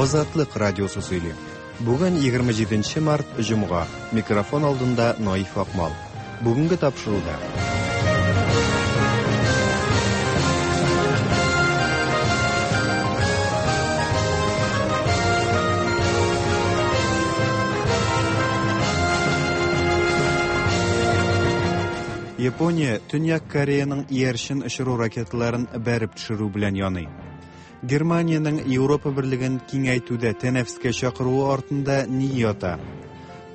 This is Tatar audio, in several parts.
Азатлык радиосы сөйли. Бүген 27 март, җомга. Микрофон алдында Наиф Акмал. Бүгенге тапшыруда. Япония Төньяк Кореяның иярчен очыру ракеталарын бәреп төшерү белән яный. Германиянең Европа берлеген киңәйтүдә тәнәфескә чакыруы артында ни ята?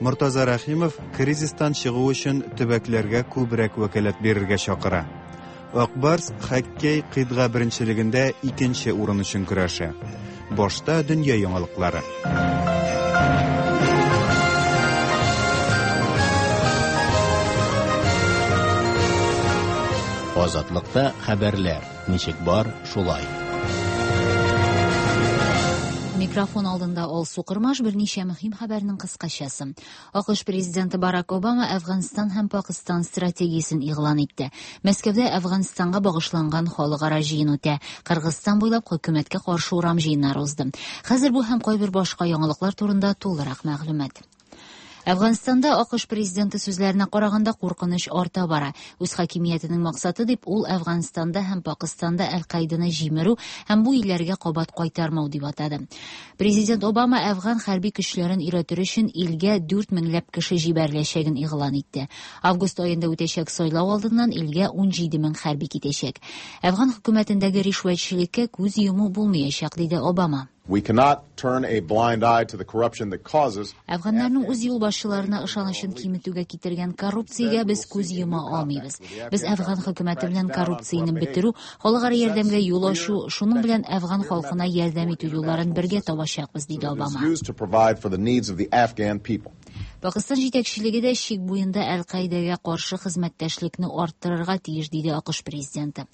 Мортаза Рәхимов кризистан чыгу өчен төбәкләргә күбрәк вәкаләт бирергә чакыра. Ак Барс хоккей кыйтга беренчелегендә икенче урын өчен көрәшә. Башта дөнья яңалыклары. Азатлыкта хәбәрләр. Ничек бар, шулай. Микрофон алдында Алсу Кырмаш берничә мөһим хәбәрнең кыскачасы. АКШ президенты Барак Обама Әфганстан һәм Пакыстан стратегиясен игълан итте. Мәскәүдә Әфганстанга багышланган халыкара җыен үтә. Кыргызстан буйлап хөкүмәткә каршы урам җыеннары узды. Хәзер бу һәм кайбер башка яңалыклар турында тулырак мәгълүмат. Әфганстанда АКШ президенты сүзләренә караганда куркыныч арта бара. Үз хакимиятенең максаты дип ул Әфганстанда һәм Пакыстанда Әл-Каиданы җимерү һәм бу илләргә кабат кайтармау дип атады. Президент Обама әфган хәрби көчләрен өйрәтер өчен илгә 4 меңләп кеше җибәреләчәген игълан итте. Август аенда үтәчәк сайлау алдыннан илгә 17 мең хәрби китәчәк. Әфган хөкүмәтендәге ришвәтчелеккә күз йому булмаячак, диде Обама. We cannot turn a blind eye to the corruption that causes Әфганнарның үз юлбашчыларына ышанычын киметүгә китергән коррупциягә без күз йома алмыйбыз. Без әфган хөкүмәте белән коррупцияне бетерү, халыкара ярдәмгә юл ачу, шуның белән әфган халкына ярдәм итү юлларын бергә табачакбыз, диде Обама. used to provide for the needs of the Afghan people. Пакыстан җитәкчелеге дә чик буенда Әл-Каидәгә каршы хезмәттәшлекне арттырырга тиеш, диде АКШ президенты.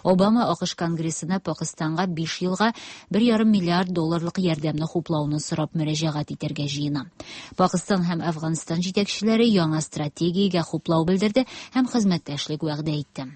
Обама АКШ Конгрессына Пакыстанга 5 елга 1,5 миллиард долларлык ярдәмне хуплауны сорап мөрәҗәгать итәргә җыена. Пакыстан һәм Әфганстан җитәкчеләре яңа стратегиягә хуплау белдерде һәм хезмәттәшлек вәгъдә итте.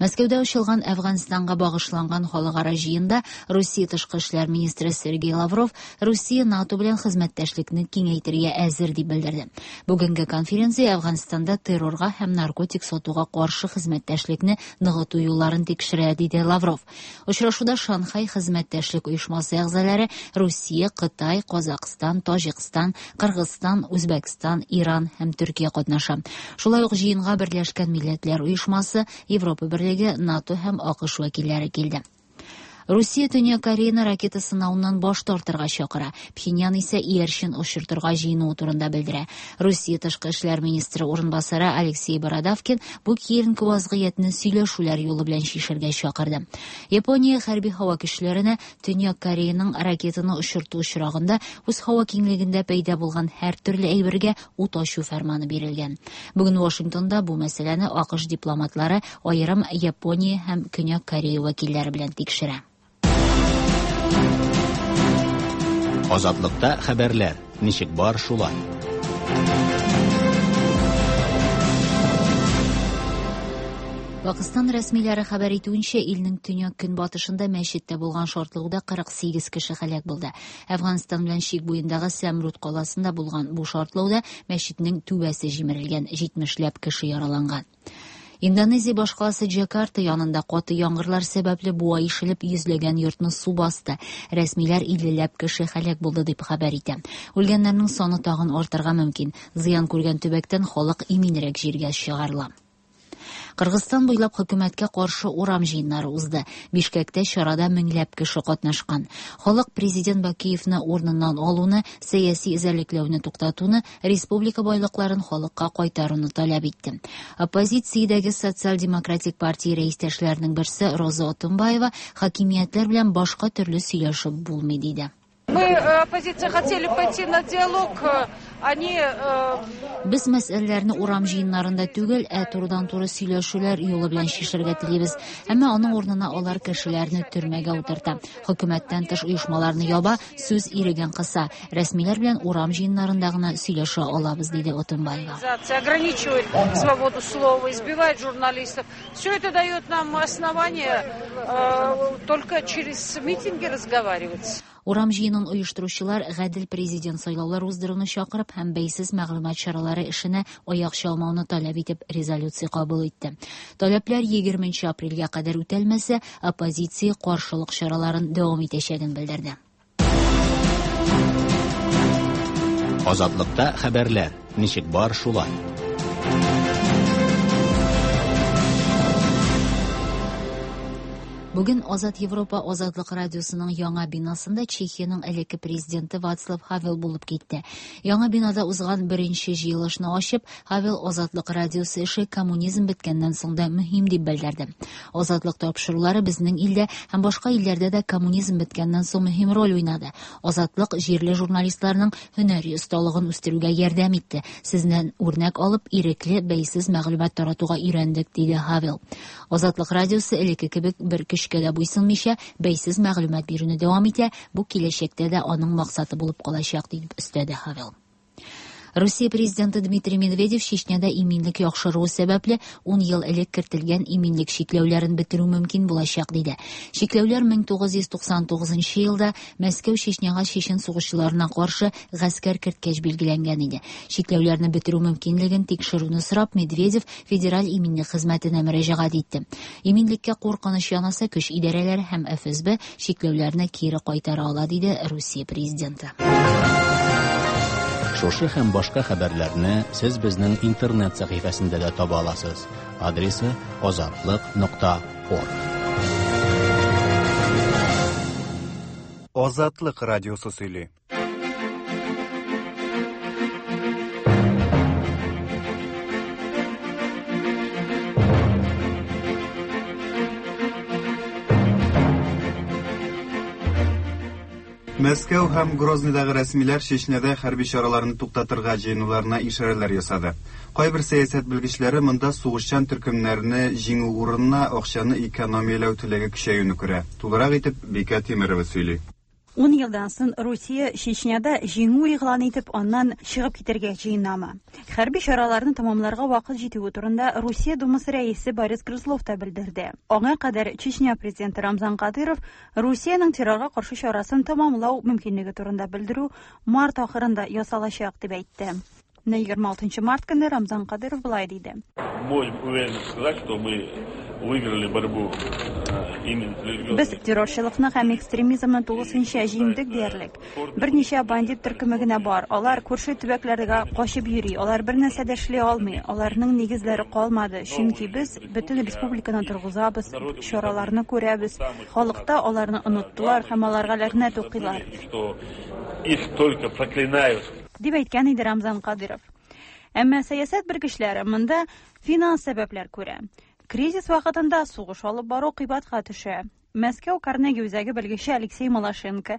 Мәскәүдә ачылган Әфганстанга багышланган халыкара җыенда Русия тышкы эшләр министры Сергей Лавров Русия НАТО белән хезмәттәшлекне киңәйтергә әзер дип белдерде. Бүгенге конференция Әфганстанда террорга һәм наркотик сатуга каршы хезмәттәшлекне ныгыту юлларын тикшерә, диде Лавров. Очрашуда Шанхай хезмәттәшлек оешмасы әгъзалары Русия, Кытай, Казакъстан, Таҗикстан, Кыргызстан, Үзбәкстан, Иран һәм Төркия катнаша. Шулай ук җыенга Берләшкән Милләтләр Оешмасы, Европа Берлеге, НАТО һәм АКШ вәкилләре килде. Русия Төньяк Кореяны ракета сынавыннан баш тартырга чакыра. Пхеньян исә иярчен очыртырга җыенуы турында белдерә. Русия тышкы эшләр министры урынбасары Алексей Бородавкин бу киеренке вазгыятьне сөйләшүләр юлы белән чишергә чакырды. Япония хәрби һава көчләренә Төньяк Кореяның ракетаны очырту очрагында үз һава киңлегендә пәйда булган һәр төрле әйбергә ут ачу фәрманы бирелгән. Бүген Вашингтонда бу мәсьәләне АКШ дипломатлары аерым Япония һәм Көньяк Корея вәкилләре белән тикшерә. Азатлыкта хәбәрләр. Ничек бар, шулай. Пакыстан рәсмиләре хәбәр итүенчә, илнең төньяк көнбатышында мәчеттә булган шартлауда 48 кеше һәлак булды. Әфганстан белән чик буендагы Сәмруд каласында булган бу шартлауда мәчетнең түбәсе җимерелгән, 70ләп кеше яраланган. Индонезия башкаласы Джакарта янында каты яңгырлар сәбәпле буа ишелеп йөзләгән йортны су басты. Рәсмиләр 50ләп кеше һәлак булды дип хәбәр итә. Үлгәннәрнең саны тагын артырга мөмкин. Зыян күргән төбәктән халык иминрәк җиргә чыгарыла. Кыргызстан буйлап хөкүмәткә каршы урам җыеннары узды. Бишкәктә чарада меңләп кеше катнашкан. Халык президент Бакиевны урыныннан алуны, сәяси эзәрлекләүне туктатуны, республика байлыкларын халыкка кайтаруны таләп итте. Оппозициядәге социал-демократик партия рәистәшләренең берсе Роза Отунбаева хакимиятләр белән башка төрле сөйләшеп булмый диде. Мы, оппозиция, хотели пойти на диалог, они Без мәсьәләләрне урам җыеннарында түгел, ә турыдан-туры сөйләшүләр юлы белән чишәргә телибез. Әмма аның урынына алар кешеләрне төрмәгә утырта. Хөкүмәттән тыш оешмаларны яба, сүз иреген кыса. Рәсмиләр белән урам җыеннарында гына сөйләшә алабыз, диде Отунбаева. Ограничивает свободу слова, избивает журналистов. Все это дает нам основание только через митинги разговаривать. Урам җыенын оештыручылар гадел президент сайлаулар уздыруны чакырып һәм бәйсез мәгълүмат чаралары эшенә аяк чалмауны таләп итеп резолюция кабул итте. Таләпләр 20 апрельгә кадәр үтәлмәсә, оппозиция каршылык чараларын дәвам итәчәген белдерде. Азатлыкта хәбәрләр ничек бар шулай. Бүген Азат Европа Азатлык радиосының яңа бинасында Чехиянең элекке президенты Вацлав Хавел булып китте. Яңа бинада узган беренче җыелышны ачып, Хавел Азатлык радиосы эше коммунизм беткәннән соң да мөһим дип белдерде. Азатлык тапшырулары безнең илдә һәм башка илләрдә дә коммунизм беткәннән соң мөһим роль уйнады. Азатлык җирле журналистларның һөнәри осталыгын үстерүгә ярдәм итте. Сездән үрнәк алып, ирекле, бәйсез мәгълүмат таратуга өйрәндек, диде Хавел. Азатлык радиосы элекке кебек бер көчкә дә буйсынмыйча, бәйсез мәгълүмат бирүне дәвам итә. Бу киләчәктә дә аның максаты булып калачак, дип өстәде Хавел. Русия президенты Дмитрий Медведев Чечняда иминлек яхшыруы сәбәпле 10 ел элек кертелгән иминлек чикләүләрен бетерү мөмкин булачак, диде. Чикләүләр 1999 елда Мәскәү Чечняга чечен сугышчыларына каршы гаскәр керткәч билгеләнгән иде. Чикләүләрне бетерү мөмкинлеген тикшерүне сорап Медведев Федераль иминлек хезмәтенә мөрәҗәгать итте. Иминлеккә куркыныч янаса, көч идарәләре һәм ФСБ чикләүләрне кире кайтара ала, диде Русия президенты. Шушы һәм башка хәбәрләрне сез безнең интернет сәхифәсендә дә таба аласыз. Адресы azatliq.org. Азатлык радиосы сөйли. Мәскәү һәм Грозныйдагы рәсмиләр Чечняда хәрби чараларны туктатырга җыенуларына ишарәләр ясады. Кайбер сәясәт белгечләре монда сугышчан төркемнәрне җиңү урынына акчаны экономияләү теләге көчәюне күрә. Тулырак итеп Бикә Тимерова сөйли. 10 елдан соң Русия Чечняда җиңү игълан итеп, аннан чыгып китәргә җыенамы? Хәрби чараларны тәмамларга вакыт җитүе турында Русия Думасы рәисе Борис Грызлов та белдерде. Аңа кадәр Чечня президенты Рамзан Кадыров Русиянең террорга каршы чарасын тәмамлау мөмкинлеге турында белдерү март ахырында ясалачак дип әйтте. 26 март көнне Рамзан Кадыров былай диде. Можем уверенно сказать, что мы выиграли борьбу именно религиозной. Без террорчылыкны һәм экстремизмны тулысынча җиңдек диярлек. Берничә бандит төркеме генә бар. Алар күрше төбәкләргә качып йөри. Алар бер нәрсә дә эшли алмый. Аларның нигезләре калмады. Чөнки без бөтен республиканы торгызабыз, чараларны күрәбез. Халыкта аларны оныттылар һәм аларга ләгънәт укыйлар. Что их только проклинают. Дип әйткән иде Рамзан Кадыров. Әмма сәясәт белгечләре монда финанс сәбәпләр күрә. Кризис вакытында сугыш алып бару кыйбатка төшә. Мәскәү Карнеги үзәге белгече Алексей Малашенко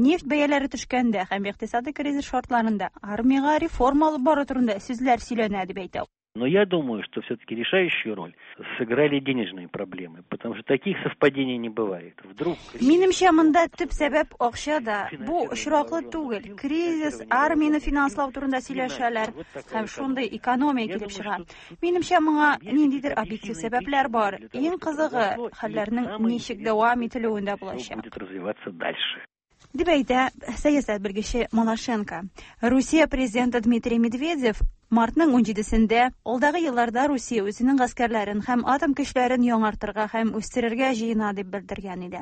нефть бәяләре төшкәндә һәм икътисади кризис шартларында армиягә реформа алып бару турында сүзләр сөйләнә дип әйтә. Но я думаю, что все-таки решающую роль сыграли денежные проблемы, потому что таких совпадений не бывает. Вдруг Минемчә, монда төп сәбәп акчада. Бу очраклы түгел. Кризис, армияне финанслау турында сөйләшәләр һәм шундый экономия килеп чыга. Минемчә, моңа ниндидер объектив сәбәпләр бар. Иң кызыгы хәлләрнең ничек дәвам ителүендә булачак. будет развиваться дальше. Дип әйтә сәясәт белгече Малашенко. Русия президенты Дмитрий Медведев мартның 17-сендә алдагы елларда Русия үзенең гаскәрләрен һәм атом көчләрен яңартырга һәм үстерергә җыена дип белдергән иде.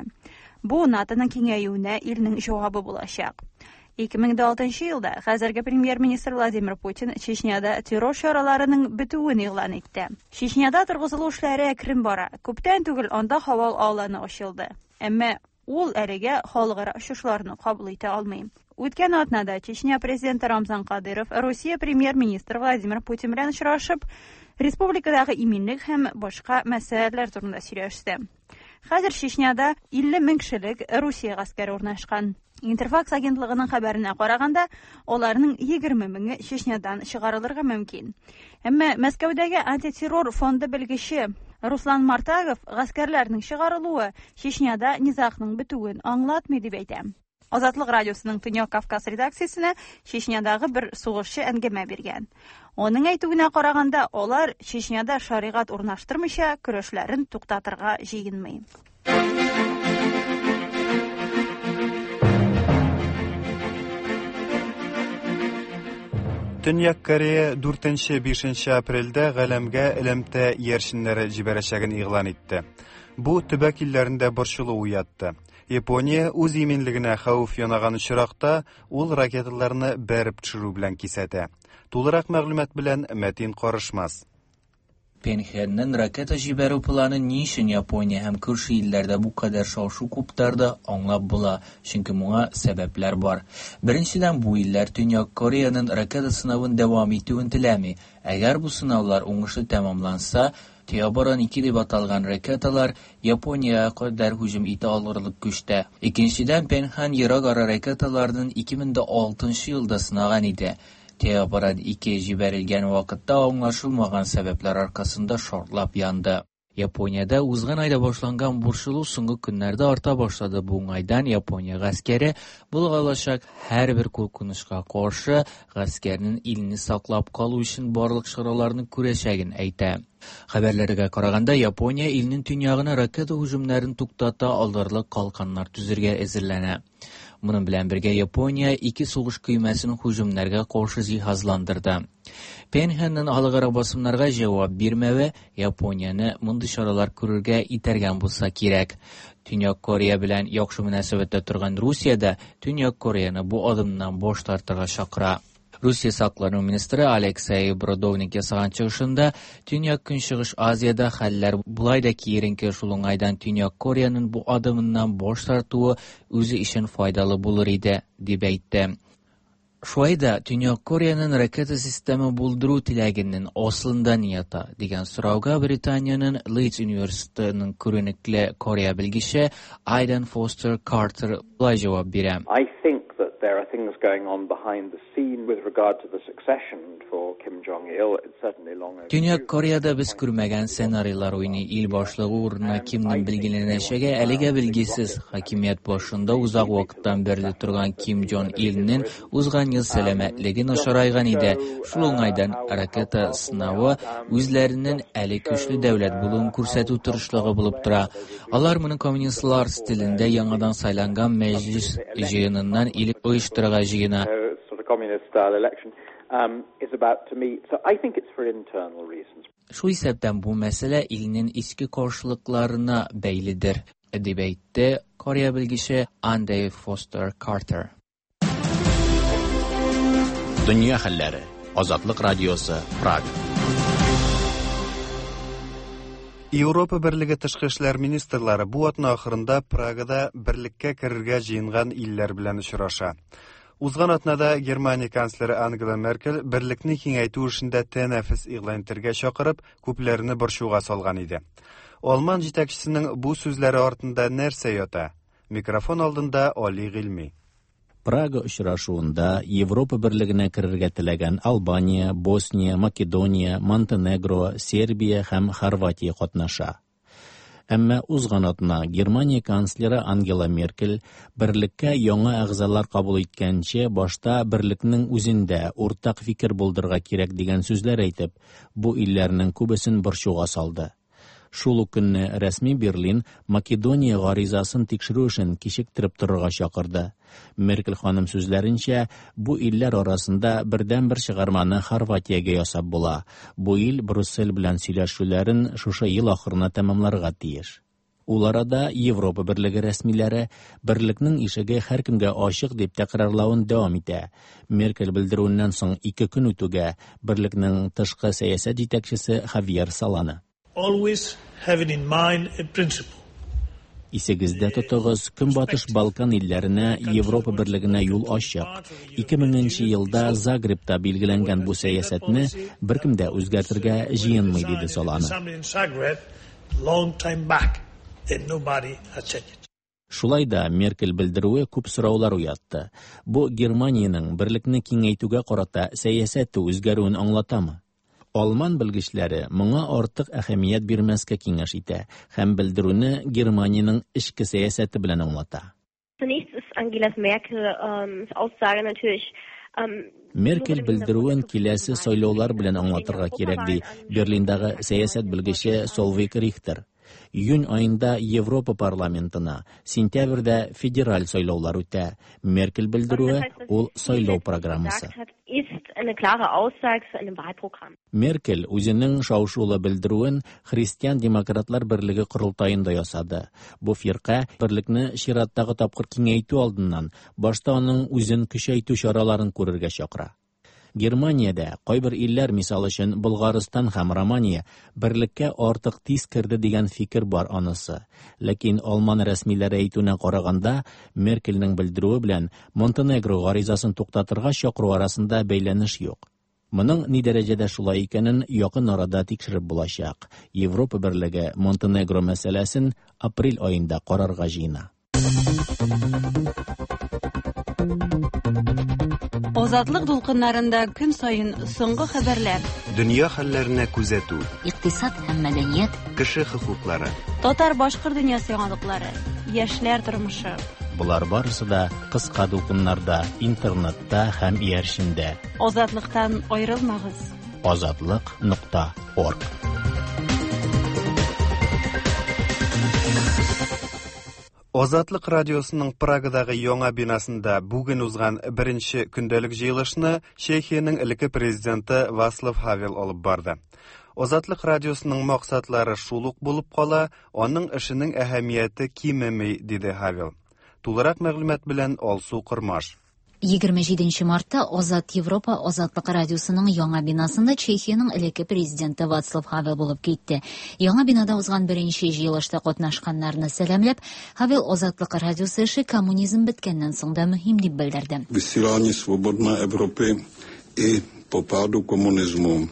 Бу НАТОның киңәюенә илнең җавабы булачак. 2006 елда хәзерге премьер-министр Владимир Путин Чечняда террор чараларының бетүен игълан итте. Чечняда торгызылу эшләре әкрен бара. Күптән түгел анда һава аланы ачылды. Әмма ул әлегә халыкара очышларны кабул итә алмый. Үткән атнада Чечня президенты Рамзан Кадыров Русия премьер-министры Владимир Путин белән очрашып, республикадагы иминлек һәм башка мәсьәләләр турында сөйләште. Хәзер Чечняда 50 мең кешелек Русия гаскәре урнашкан. Интерфакс агентлыгының хәбәренә караганда, аларның 20 меңе Чечнядан чыгарылырга мөмкин. Әмма Мәскәүдәге антитеррор фонды белгече Руслан Мартагов гаскәрләрнең чыгарылуы Чечняда низагның бетүен аңлатмый дип әйтә. Азатлык радиосының Төньяк Кавказ редакциясенә Чечнядагы бер сугышчы әңгәмә биргән. Аның әйтүенә караганда, алар Чечняда шаригать урнаштырмыйча көрәшләрен туктатырга җыенмый. Төньяк Корея 4-5 апрельдә галәмгә элемтә иярченнәре җибәрәчәген игълан итте. Бу төбәк илләрендә борчылу уятты. Япония үз иминлегенә хәвеф янаган очракта ул ракеталарны бәреп төшерү белән кисәтә. Тулырак мәгълүмат белән Мәтин Карышмас. Пхеньянның ракета җибәрү планы ни өчен Япония һәм күрше илләрдә бу кадәр шау-шу куптарды, аңлап була, чөнки моңа сәбәпләр бар. Беренчедән, бу илләр Төньяк Кореяның ракета сынавын дәвам итүен теләми. Әгәр бу сынаулар уңышлы тәмамланса, Теоборон-2 дип аталган ракеталар Япониягә кадәр һөҗүм итә алырлык көчтә. Икенчедән, Пхеньян ерак ара ракеталарын 2006 елда сынаган иде. Теоборон-2 җибәрелгән вакытта аңлашылмаган сәбәпләр аркасында шартлап янды. Япониядә узган айда башланган борчылу соңгы көннәрдә арта башлады. Бу уңайдан Япония гаскәре була алачак һәрбер куркынычка каршы гаскәрнең илне саклап калу өчен барлык чараларны күрәчәген әйтә. Хәбәрләргә караганда, Япония илнең төньягына ракета һөҗүмнәрен туктата алырлык калканнар төзергә әзерләнә. Моның белән бергә Япония ике сугыш көймәсен һөҗүмнәргә каршы җиһазландырды. Пхеньянның халыкара басымнарга җавап бирмәве Японияне мондый чаралар күрергә этәргән булса кирәк. Төньяк Корея белән яхшы мөнәсәбәттә торган Русия дә Төньяк Кореяны бу адымнан баш тартырга чакыра. Русия саклану министры Алексей Бродовник ясаган чыгышында Төньяк Көнчыгыш Азиядә хәлләр болай да киеренке, шул уңайдан Төньяк Кореяның бу адымыннан баш тартуы үзе өчен файдалы булыр иде, дип әйтте. Шулай да Төньяк Кореяның ракета системы булдыру теләгенең асылында ни ята дигән сорауга Британиянең Лидс университетының күренекле Корея белгече Айден Фостер Картер болай җавап бирә. I think that there are things going on behind the scene with regard to the succession for Kim Jong-il. It's certainly long overdue. Төньяк Кореяда без күрмәгән сценарийлар уйный. Ил башлыгы урынына кемнең билгеләнәчәге әлегә билгесез. Хакимият башында озак вакыттан бирле торган Ким Джон Илнең узган ел сәламәтлеге начарайган иде. Шул уңайдан ракета сынавы үзләренең әле көчле дәүләт булуын күрсәтү тырышлыгы булып тора. Алар моны коммунистлар стилендә яңадан сайланган мәҗлис җыеныннан элек оештырырга җыена. Шул исәптән бу мәсьәлә илнең эчке каршылыкларына бәйледер, дип әйтте Корея белгече Андрей Фостер Картер. Дөнья хәлләре. Азатлык радиосы, Прага. Европа Берлеге тышкы эшләр министрлары бу атна ахырында Прагада берлеккә керергә җыенган илләр белән очраша. Узган атнада Германия канцлеры Ангела Меркель берлекне киңәйтү эшендә тәнәфес игълан итәргә чакырып, күпләрне борчуга салган иде. Алман җитәкчесенең бу сүзләре артында нәрсә ята? Микрофон алдында Али Гыйльми. Прага очрашуында Европа берлегенә керергә теләгән Албания, Босния, Македония, Монтенегро, Сербия һәм Хорватия катнаша. Әмма узган атна Германия канцлеры Ангела Меркель берлеккә яңа әгъзалар кабул иткәнче башта берлекнең үзендә уртак фикер булдырырга кирәк дигән сүзләр әйтеп, бу илләрнең күбесен борчуга салды. Шул ук көнне рәсми Берлин Македония гаризасын тикшерү эшен кичектереп торырга чакырды. Меркель ханым сүзләренчә, бу илләр арасында бердәнбер чыгарманы Хорватиягә ясап була. Бу ил Брюссель белән сөйләшүләрен шушы ел ахырына тәмамларга тиеш. Ул арада Европа берлеге рәсмиләре берлекнең ишеге һәркемгә ачык дип тәкрарлавын дәвам итә. Меркель белдерүеннән соң 2 көн үтүгә берлекнең тышкы сәясәт җитәкчесе Хавьер Солана. Always having in mind a principle. Исегездә тотыгыз, Көнбатыш Балкан илләренә Европа берлегенә юл ачык. 2000 елда Загребта билгеләнгән бу сәясәтне беркем дә үзгәртергә җыенмый, диде Солана. Шулай да Меркель белдерүе күп сораулар уятты. Бу Германиянең берлекне киңәйтүгә карата сәясәте үзгәрүен аңлатамы? Алман белгечләре моңа артык әһәмият бирмәскә киңәш итә һәм белдерүне Германиянең эчке сәясәте белән аңлата. Zunächst ist Angela Merkel Aussage natürlich Меркель белдерүен киләсе сайлаулар белән аңлатырга кирәк, ди Берлиндагы сәясәт белгече Солвейг Рихтер. Июнь аенда Европа парламентына, сентябрьдә федераль сайлаулар үтә. Меркель белдерүе ул сайлау программасы. Меркель үзенең шау-шулы белдерүен Христиан-демократлар берлеге корылтаенда ясады. Бу фирка берлекне чираттагы тапкыр киңәйтү алдыннан башта аның үзен көчәйтү чараларын күрергә чакыра. Германиядә кайбер илләр, мисал өчен Болгарстан һәм Романия, берлеккә артык тиз керде дигән фикер бар анысы. Ләкин алман рәсмиләре әйтүенә караганда, Меркельнең белдерүе белән Монтенегро гаризасын туктатырга чакыру арасында бәйләнеш юк. Моның ни дәрәҗәдә шулай икәнен якын арада тикшереп булачак. Европа берлеге Монтенегро мәсьәләсен апрель аенда карарга җыена. Азатлык дулкыннарында көн саен соңгы хәбәрләр. Дөнья хәлләренә күзәтү. Икътисад һәм мәдәният. Кеше хокуклары. Татар-башкорт дөньясы яңалыклары. Яшьләр тормышы. Болар барысы да кыска дулкыннарда, интернетта һәм иярчендә. Азатлыктан аерылмагыз. Азатлык нокта орг. Азатлык радиосының Прагадагы яңа бинасында бүген узган беренче көндәлек җыелышны Чехиянең элекке президенты Вацлав Хавел алып барды. Азатлык радиосының максатлары шул ук булып кала, аның эшенең әһәмияте кимеми, диде Хавел. Тулырак мәгълүмат белән Алсу Кормаш. 27 мартта Азат Европа Азатлык радиосының яңа бинасында Чехиянең элекке президенты Вацлав Хавел булып китте. Яңа бинада узган беренче җыелышта катнашканнарны сәламләп, Хавел Азатлык радиосы эше коммунизм беткәннән соң да мөһим дип белдерде. Высылание свободной Европы и по паду коммунизму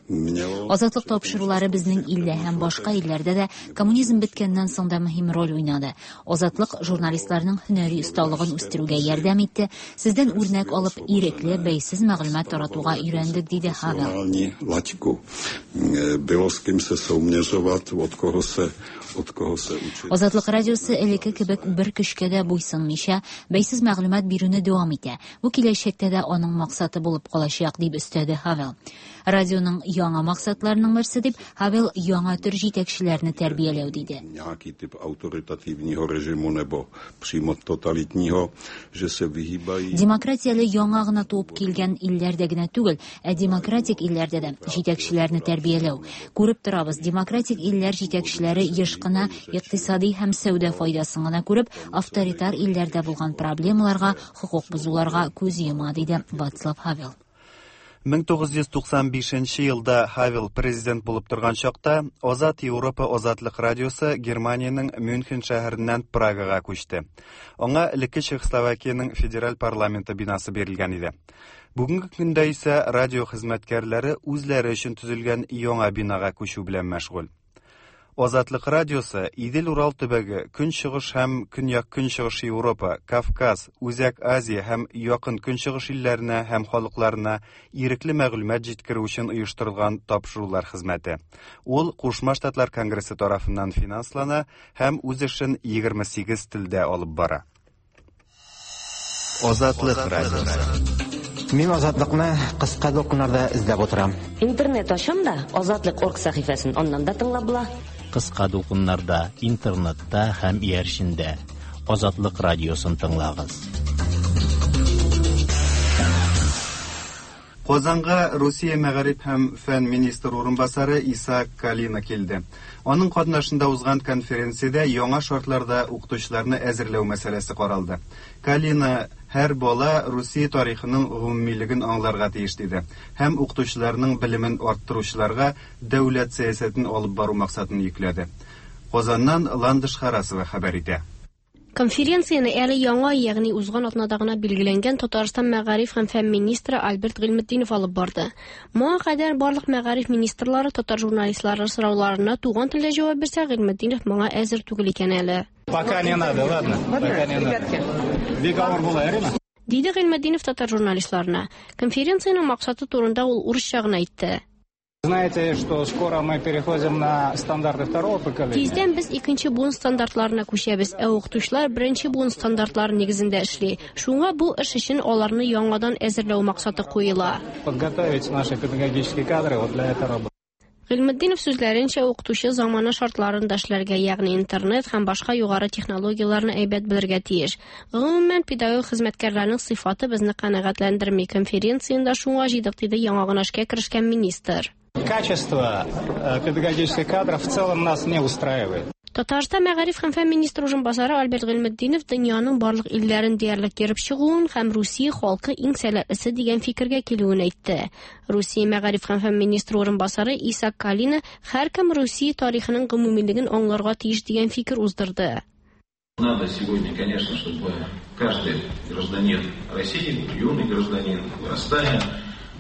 Азатлык тапшырулары безнең илдә һәм башка илләрдә дә коммунизм беткәннән соң да мөһим роль уйнады. Азатлык журналистларның һөнәри осталыгын үстерүгә ярдәм итте. Сездән үрнәк алып, ирекле, бәйсез мәгълүмат таратуга өйрәндек, диде Хавел. Латику. Было с кем се соměřovat, от кого се от кого се учить. Азатлык радиосы элекке кебек бер көчкә дә буйсынмыйча, бәйсез мәгълүмат бирүне дәвам итә. Бу киләчәктә дә аның максаты булып калачак, дип өстәде Хавел. Радионың яңа максатларының берсе дип Хавел яңа төр җитәкчеләрне тәрбияләү диде. Nějaký typ autoritativního režimu nebo přímo totalitního, že se vyhýbají. Демократияле яңа гына туып килгән илләрдә генә түгел, ә демократик илләрдә дә җитәкчеләрне тәрбияләү. Күреп торабыз, демократик илләр җитәкчеләре еш кына икътисади һәм сәүдә файдасын гына күреп, авторитар илләрдә булган проблемаларга, хокук бозуларга күз йома, диде Вацлав Хавел. 1995 елда Хавел президент булып торган чакта Азат Европа Азатлык радиосы Германиянең Мюнхен шәһәреннән Прагага күчте. Аңа элекке Чехословакиянең федераль парламенты бинасы бирелгән иде. Бүгенге көндә исә радио хезмәткәрләре үзләре өчен төзелгән яңа бинага күчү белән мәшгуль. Азатлык радиосы Идел-Урал төбәге, Көнчыгыш һәм Көньяк-Көнчыгыш Европа, Кавказ, Үзәк Азия һәм Якын Көнчыгыш илләренә һәм халыкларына ирекле мәгълүмат җиткерү өчен оештырылган тапшырулар хезмәте. Ул Кушма Штатлар Конгрессы тарафыннан финанслана һәм үз эшен 28 телдә алып бара. Азатлык радиосы. Мин Азатлыкны кыска дулкыннарда эзләп утырам. Интернет ачам да, Азатлык орг сәхифәсен аннан да тыңлап була. Кыска дулкыннарда, интернетта һәм иярчендә Азатлык радиосын тыңлагыз. Казанга Русия мәгариф һәм фән министры урынбасары Исаак Калина килде. Аның катнашында узган конференциядә яңа шартларда укытучыларны әзерләү мәсьәләсе каралды. Калина һәр бала Русия тарихының гомумилеген аңларга тиеш диде һәм укытучыларның белемен арттыручыларга дәүләт сәясәтен алып бару максатын йөкләде. Казаннан Ландыш Харасова хәбәр итә. Конференцияне әле яңа, ягъни узган атнада гына билгеләнгән Татарстан мәгариф һәм фән министры Альберт Гыйльметдинов алып барды. Моңа кадәр барлык мәгариф министрлары татар журналистлары сорауларына туган телдә җавап бирсә, Гыйльметдинов моңа әзер түгел икән әле. Пока не надо, ладно? Пока не надо. Бик авыр була, Ирина. Диде Гыйльметдинов татар журналистларына. Конференциянең максаты турында ул урысча гына әйтте. Знаете, что скоро мы переходим на стандарты второго поколения. Тиздән без икенче буын стандартларына күчәбез, ә укытучылар беренче буын стандартлары нигезендә эшли. Шуңа бу эш өчен аларны яңадан әзерләү максаты куела. Подготовить наши педагогические кадры вот для этой работы. Гыйльметдинов сүзләренчә, укытучы замана шартларында эшләргә, ягъни интернет һәм башка югары технологияләрне әйбәт белергә тиеш. Гомумән, педагог хезмәткәрләрнең сыйфаты безне канәгатьләндерми. Конференцияне дә шуңа җыйдык, диде яңа гына эшкә керешкән министр. Качество педагогических кадров в целом нас не устраивает. Татарстан мәгариф һәм фән министры урынбасары Альберт Гыйльметдинов дөньяның барлык илләрен диярлек йөреп чыгуын һәм Русия халкы иң сәләтлесе дигән фикергә килүен әйтте. Русия мәгариф һәм фән министры урынбасары Исак Калина һәркем Русия тарихының гомумилеген аңларга тиеш дигән фикер уздырды. Надо сегодня, конечно, чтобы каждый гражданин России, юный гражданин, вырастая,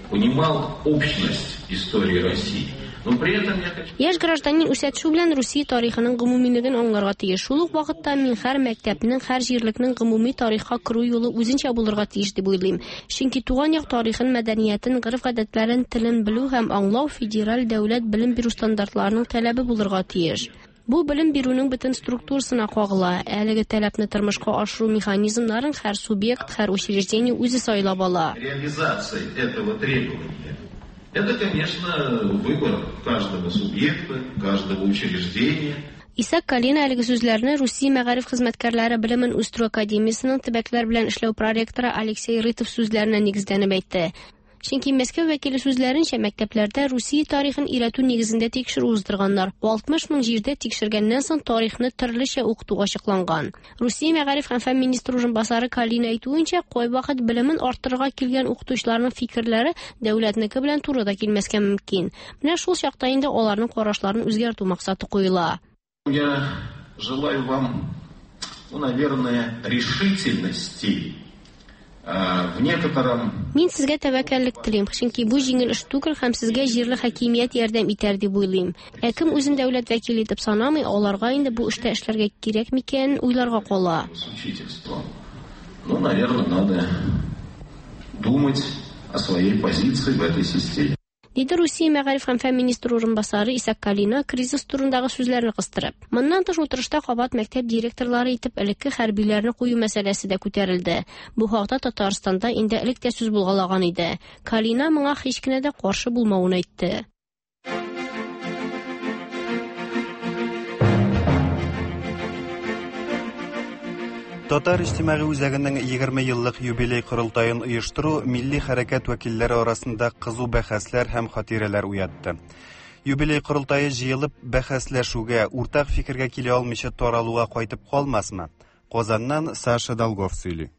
понимал общность истории России. Но при этом я хочу... Яшь гражданин үсә төшү белән Русия тарихының гомумилеген аңларга тиеш. Шул ук вакытта мин һәр мәктәпнең, һәр җирлекнең гомуми тарихка керү юлы үзенчә булырга тиеш дип уйлыйм. Чөнки туган як тарихын, мәдәниятен, гореф-гадәтләрен, телен белү һәм аңлау федераль дәүләт белем бирү стандартларының таләбе булырга тиеш. Бу белем бирүнең бөтен структурасына кагыла. Әлеге таләпне тормышка ашыру механизмнарын һәр субъект, һәр учреждение үзе сайлап ала. Реализация этого требования – это, конечно, выбор каждого субъекта, каждого учреждения. Исак Калина әлеге сүзләрне Русия мәгариф хезмәткәрләре белемен үстерү академиясенең төбәкләр белән эшләү проректоры Алексей Рытов сүзләренә нигезләнеп әйтте. Чөнки Мәскәү вәкиле сүзләренчә, мәктәпләрдә Русия тарихын өйрәтү нигезендә тикшерү уздырганнар. 60 мең җирдә тикшергәннән соң тарихны төрлечә укыту ачыкланган. Русия мәгариф һәм фән министры урынбасары Калина әйтүенчә, кайвакыт белемен арттырырга килгән укытучыларның фикерләре дәүләтнеке белән туры да килмәскә мөмкин. Менә шул чакта инде аларның карашларын үзгәртү максаты куела. Я желаю вам, ну, наверное, решительности в некотором... Мин сезгә тәвәккәллек телим, чөнки бу җиңел эш түгел һәм сезгә җирле хакимият ярдәм итәр дип уйлыйм. Ә кем үзен дәүләт вәкиле итеп санамый, аларга инде бу эштә эшләргә кирәк микәнен уйларга кала. С учительством. Ну, наверное, надо думать о своей позиции в этой системе. Диде Русия мәгариф һәм фән министры урынбасары Исак Калина кризис турындагы сүзләрне кыстырып. Моннан тыш утырышта кабат мәктәп директорлары итеп элекке хәрбиләрне кую мәсьәләсе дә күтәрелде. Бу хакта Татарстанда инде элек тә сүз булгалаган иде. Калина моңа һич кенә дә каршы булмавын әйтте. Татар иҗтимагый үзәгенең 20 еллык юбилей корылтаен оештыру милли хәрәкәт вәкилләре арасында кызу бәхәсләр һәм хатирәләр уятты. Юбилей корылтае җыелып бәхәсләшүгә, уртак фикергә килә алмыйча таралуга кайтып калмасмы? Казаннан Саша Долгов сөйли.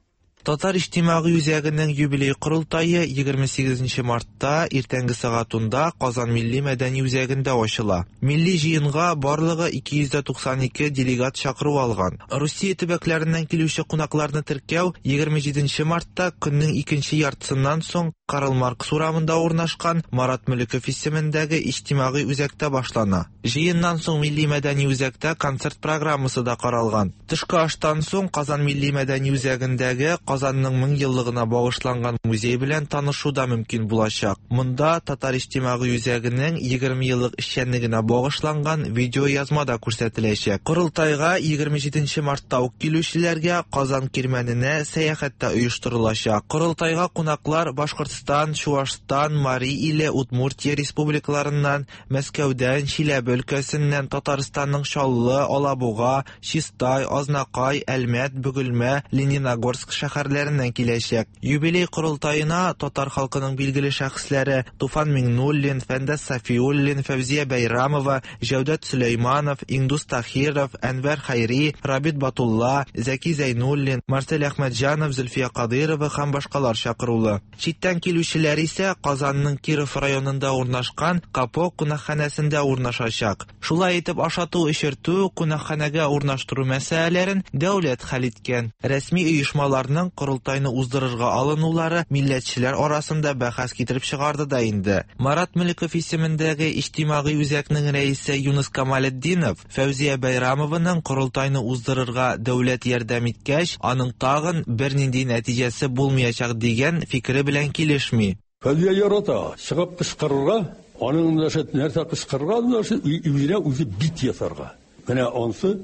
Татар иҗтимагый үзәгенең юбилей корылтае 28 мартта иртәнге сәгать 10-да Казан милли мәдәни үзәгендә ачыла. Милли җыенга барлыгы 292 делегат чакыру алган. Русия төбәкләреннән килүче кунакларны теркәү 27 мартта көннең икенче яртысыннан соң Карл Маркс урамында урнашкан Марат Мөлеков исемендәге иҗтимагый үзәктә башлана. Җыеннан соң милли мәдәни үзәктә концерт программасы да каралган. Төшке аштан соң Казан милли мәдәни үзәгендәге Казанның 1000 еллыгына багышланган музей белән танышу да мөмкин булачак. Монда Татар иҗтимагый үзәгенең 20 еллык эшчәнлегенә багышланган видеоязма да күрсәтеләчәк. Корылтайга 27 мартта ук килүчеләргә Казан кирмәненә сәяхәт тә оештырылачак. Корылтайга кунаклар Башкортстан, Чуашстан, Мари иле, Удмуртия республикаларыннан, Мәскәүдән, Чиләбе өлкәсеннән, Татарстанның Чаллы, Алабуга, Чистай, Азнакай, Әлмәт, Бөгелмә, Лениногорск шәһәрләреннән киләчәк. Юбилей корылтаена татар халкының билгеле шәхесләре Туфан Миңнуллин, Фәндәс Сафиуллин, Фәүзия Бәйрамова, Җәүдәт Сөләйманов, Индус Тахиров, Әнвәр Хәйри, Рабит Батулла, Зәки Зәйнуллин, Марсель Әхмәтҗанов, Зөлфия Кадыйрова һәм башкалар чакырулы. Читтән килүчеләр исә Казанның Киров районында урнашкан Капо кунакханәсендә урнашачак. Шулай итеп ашату, эчертү, кунакханәгә урнаштыру мәсьәләләрен дәүләт хәл иткән. Рәсми оешмаларның корылтайны уздырырга алынулары милләтчеләр арасында бәхәс китереп чыгарды да инде. Марат Мөлеков исемендәге иҗтимагый үзәкнең рәисе Юныс Камалетдинов Фәүзия Бәйрамованың корылтайны уздырырга дәүләт ярдәм иткәч, аның тагын бернинди нәтиҗәсе булмаячак дигән фикере белән килешми. Фәүзия ярата, чыгып кычкырырга, аның нәрсә кычкырырга, үзенә үзе бит ясарга. Менә ансы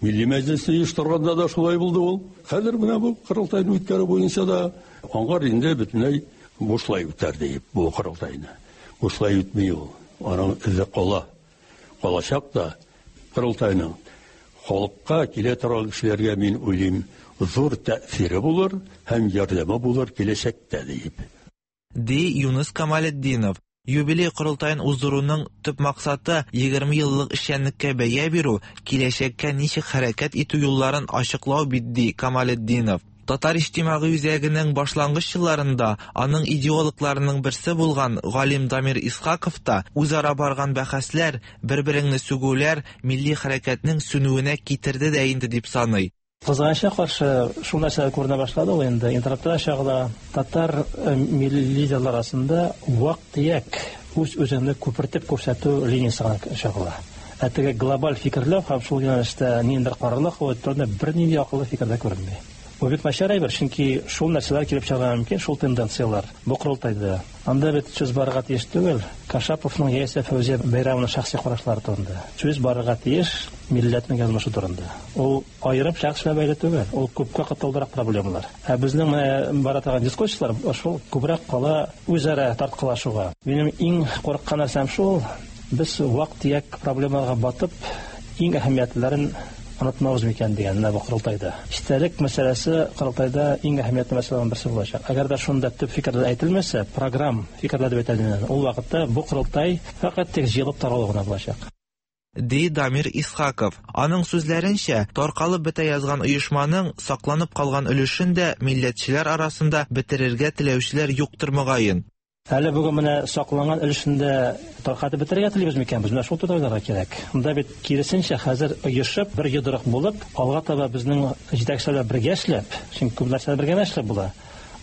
Милли мәҗлесне оештырганда да шулай булды ул. Хәзер менә бу корылтайны үткәрү буенча да аңгар инде бөтенләй бушлай үтәр дип бу корылтайны. Бушлай үтми ул. Аның эзе кала. Калачак та корылтайның. Халыкка килә торган кешеләргә мин уйлыйм, зур тәэсире булыр һәм ярдәме булыр киләчәктә диеп. Ди Юныс Камалетдинов. Юбилей корылтаен уздыруның төп максаты 20 еллык эшчәнлеккә бәя бирү, киләчәккә ничек хәрәкәт итү юлларын ачыклау бит, ди Камалетдинов. Татар иҗтимагый үзәгенең башлангыч елларында аның идеологларының берсе булган галим Дамир Исхаков та үзара барган бәхәсләр, бер-береңне сүгүләр милли хәрәкәтнең сүнүенә китерде дә инде дип саный. Кызганычка каршы, шул нәрсә күренә башлады ул инде. Интернетта чагыла татар э, милли лидерлар арасында вак-төяк үз-үзеңне күпертеп күрсәтү линиясе гына чагыла. Ә теге глобаль фикерләү һәм шул юнәлештә ниндидер карарлар кабул итү турында бернинди акыллы фикер дә күренми. Бу бик начар әйбер, чөнки шул нәрсәләр килеп чыгарга мөмкин, шул тенденцияләр бу корылтайда. Анда бит сүз барырга тиеш түгел Кашаповның яисә Фәүзия Бәйрәмованың шәхси карашлары турында. Сүз барырга тиеш милләтнең язмышы турында. Ул аерым шәхес белән бәйле түгел, ул күпкә катлаулырак проблемалар. Ә безнең менә бара торган дискуссияләр шул күбрәк кала үзара тарткалашуга. Минем иң курыккан нәрсәм шул, без вак-төяк проблемаларга батып, иң әһәмиятлеләрен онытмабыз микән дигән менә бу корылтайда. Истәлек мәсьәләсе корылтайда иң әһәмиятле мәсьәләләрнең берсе булачак. Әгәр дә шунда төп фикерләр әйтелмәсә, программ фикерләр дип әйтәләр, ул вакытта бу корылтай фәкать тик җыелып таралу гына булачак. Ди Дамир Исхаков. Аның сүзләренчә, таркалып бетә язган оешманың сакланып калган өлешен дә милләтчеләр арасында бетерергә теләүчеләр юктыр мөгаен. Әле бүген менә сакланган өлешен дә таркатып бетерергә телибез микән без? Менә шул турыда уйларга кирәк. Монда бит киресенчә, хәзер оешып, бер йодрык булып, алга таба безнең җитәкчеләр белән бергә эшләп, чөнки күп нәрсәне бергә генә эшләп була.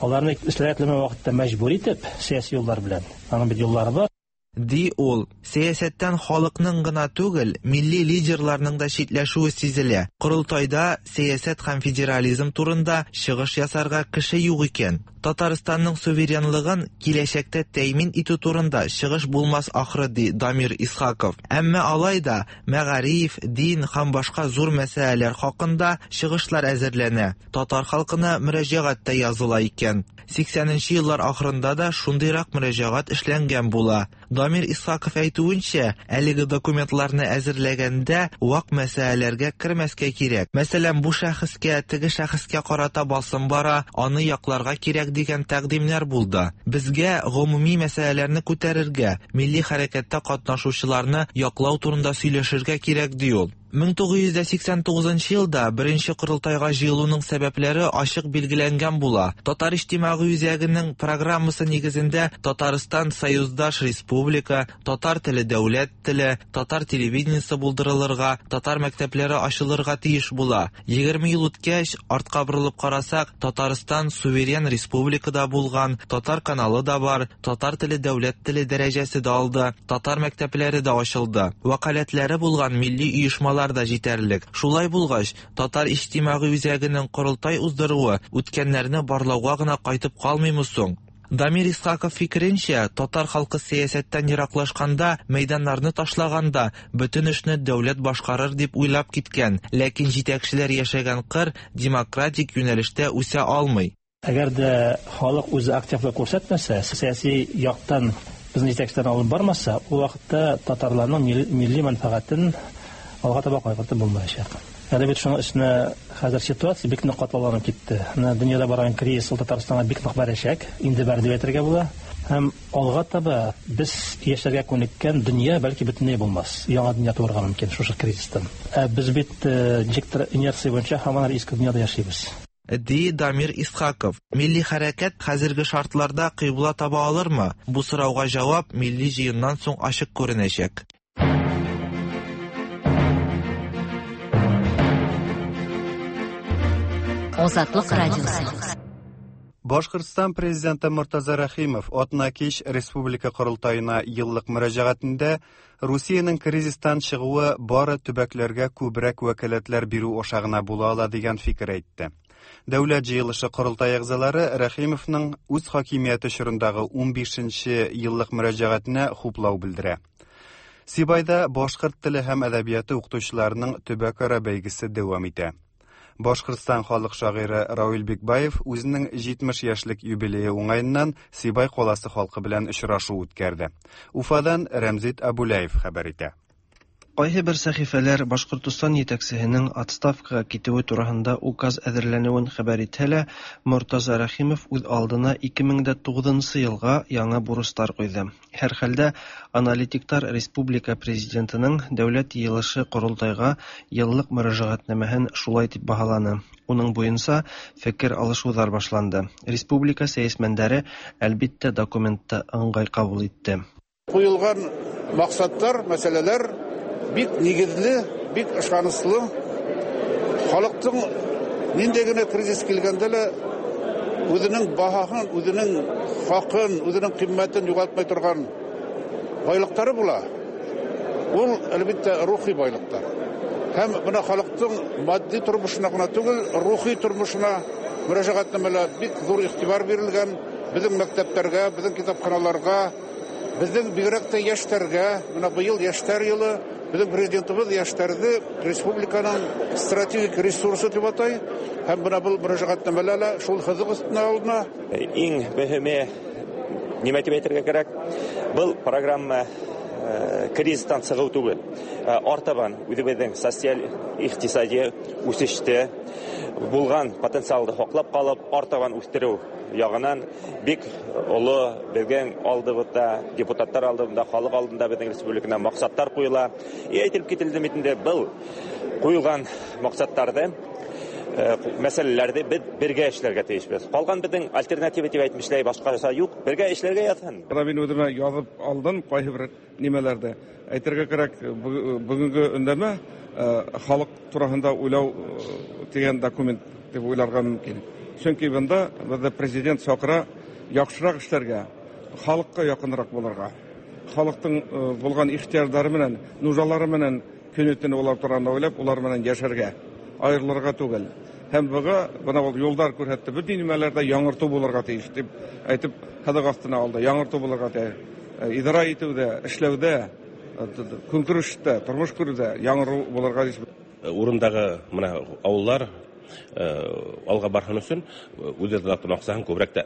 Аларны эшләргә теләмәгән вакытта мәҗбүр итеп, сәяси юллар белән. Аның бит юллары бар. Ди ул. Сәясәттән халыкның гына түгел, милли лидерларның да читләшүе сизелә. Корылтайда сәясәт һәм федерализм турында чыгыш ясарга кеше юк икән. Татарстанның суверенлыгын киләчәктә тәэмин итү турында чыгыш булмас ахры, ди Дамир Исхаков. Әмма алай да мәгариф, дин һәм башка зур мәсьәләләр хакында чыгышлар әзерләнә, татар халкына мөрәҗәгать тә языла икән. 80 нче еллар ахырында да шундыйрак мөрәҗәгать эшләнгән була. Дамир Исхаков әйтүенчә, әлеге документларны әзерләгәндә вак мәсьәләләргә кермәскә кирәк. Мәсәлән, бу шәхескә, теге шәхескә карата басым бара, аны якларга кирәк дигән тәкъдимнәр булды. Безгә гомуми мәсьәләләрне күтәрергә, милли хәрәкәттә катнашучыларны яклау турында сөйләшергә кирәк, ди ул. 1989 нчы елда беренче корылтайга җыелуның сәбәпләре ачык билгеләнгән була. Татар иҗтимагый үзәгенең программасы нигезендә Татарстан союздаш республика, татар теле дәүләт теле, татар телевидениесе булдырылырга, татар мәктәпләре ачылырга тиеш була. 20 ел үткәч, артка борылып карасак, Татарстан суверен республика да булган, татар каналы да бар, татар теле дәүләт теле дәрәҗәсе дә алды, татар мәктәпләре дә ачылды. Вәкаләтләре булган милли оешмалар да җитәрлек. Шулай булгач, Татар иҗтимагый үзәгенең корылтай уздыруы үткәннәрне барлауга гына кайтып калмыймы соң? Дамир Исхаков фикеренчә, татар халкы сәясәттән ераклашканда, мәйданнарны ташлаганда, бөтен эшне дәүләт башкарыр дип уйлап киткән, ләкин җитәкчеләр яшәгән кыр демократик юнәлештә үсә алмый. Әгәр дә халык үзе активлык күрсәтмәсә, сәяси яктан безнең җитәкчеләрне алып бармаса, ул вакытта татарларның милли мәнфәгатен алга таба кайгыртып булмаячак. Әле бит шуның өстенә хәзер ситуация бик нык катлауланып китте. Менә дөньяда барган кризис ул Татарстанга бик нык бәрәчәк, инде бәрде дип әйтергә була. Һәм алга таба без яшәргә күнеккән дөнья бәлки бөтенләй булмас. Яңа дөнья туарга мөмкин шушы кризистан. Ә без бит э, ничектер инерция буенча һаман әле иске дөньяда яшибез. Ди Дамир Исхаков. Милли хәрәкәт хәзерге шартларда кыйбла таба алырмы? Бу сорауга җавап милли җыеннан соң ачык күренәчәк. Азатлык радиосы. Башкортстан президенты Мортаза Рәхимов атна кич республика корылтаена еллык мөрәҗәгатендә Русиянең кризистан чыгуы бары төбәкләргә күбрәк вәкаләтләр бирү аша гына була ала дигән фикер әйтте. Дәүләт җыелышы корылтай әгъзалары Рәхимовның үз хакимияте чорындагы 15 еллык мөрәҗәгатенә хуплау белдерә. Сибайда башкорт теле һәм әдәбияты укытучыларының төбәкара бәйгесе дәвам итә. Башкортстан халык шагыйре Равил Бикбаев үзенең 70 яшьлек юбилее уңаеннан Сибай каласы халкы белән очрашу үткәрде. Уфадан Рәмзит Абуляев хәбәр итә. Кайһы бер сәхифәләр Башкортостан җитәкчеһенең отставкага китүе турыһында указ әзерләнүен хәбәр итһә лә, Мортаза Рәхимов үз алдына 2009 нчы елга яңа бурычлар куйды. Һәрхәлдә, аналитиктар республика Президентының Дәүләт Йыелышы-Корылтайга еллык мөрәҗәгатьнамәһен шулай дип баһаланы. Уның буенча фикер алышудар башланды. Республика сәясмәндәре, әлбиттә, документты ыңгай кабул итте. Куелган максатлар, мәсьәләләр бик нигезле, бик ышанычлы. Халыктың нинди генә кризис килгәндә лә үзенең баһасын, үзенең хакын, үзенең кыйммәтен югалтмай торган байлыклары була. Ул, әлбәттә, рухи байлыклар. Һәм менә халыктың матди тормышына гына түгел, рухи тормышына мөрәҗәгатьнамәләр бик зур игътибар бирелгән. Безнең мәктәпләргә, безнең китапханаларга, безнең бигрәк тә яшьләргә, менә быел яшьләр елы, безнең президентыбыз яшьләрне республиканың стратегик ресурсы дип атай, һәм менә был мөрәҗәгатьнамәләр лә шул һызык өстенә алына. Иң мөһиме, нимә дип әйтергә кирәк, был программа кризистан чыгу түгел. Артабан үзебезнең социаль икътисади үсеште булган потенциалды һаклап калып, артабан үстерү ягынан бик олы безнең алдыбызда, депутатлар алдында, халык алдында безнең республикада максатлар куела. И әйтелеп кителде бит инде, был куелган максатларны, мәсьәләләрне без бергә эшләргә тиешбез. Калган безнең альтернатива дип әйтмешләй башкача юк, бергә эшләргә язсын. Менә мин үземә язып алдым кайсы бер нимәләрдә. Әйтергә кирәк, бүгенге өндәмә халык турасында уйлау дигән документ дип уйларга мөмкин. Чөнки бында безне президент чакыра яхшырак эшләргә, халыкка якынрак булырга. Халыктың булган ихтыяҗлары менән, нужалары менән көне-төне улар турында уйлап, улар менән яшәргә, аерылырга түгел. Һәм быга бына ул юлдар күрһәтте, бөтен нимәләрдә яңырту булырга тиеш дип әйтеп, һыҙыҡ аҫтына алды. Яңырту булырга тиеш. Идара итеүҙә, эшләүҙә, көнкүрештә, тормош күреүҙә яңырыу булырға тиеш. Урындағы мына ауылдар алға барһын өсөн үҙ аҡсаһын күберәк тә,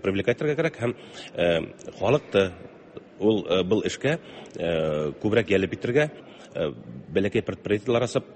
привлекать итергә кәрәк һәм халыҡты ул был эшкә күберәк йәлеп итергә, бәләкәй предприятиелар асып,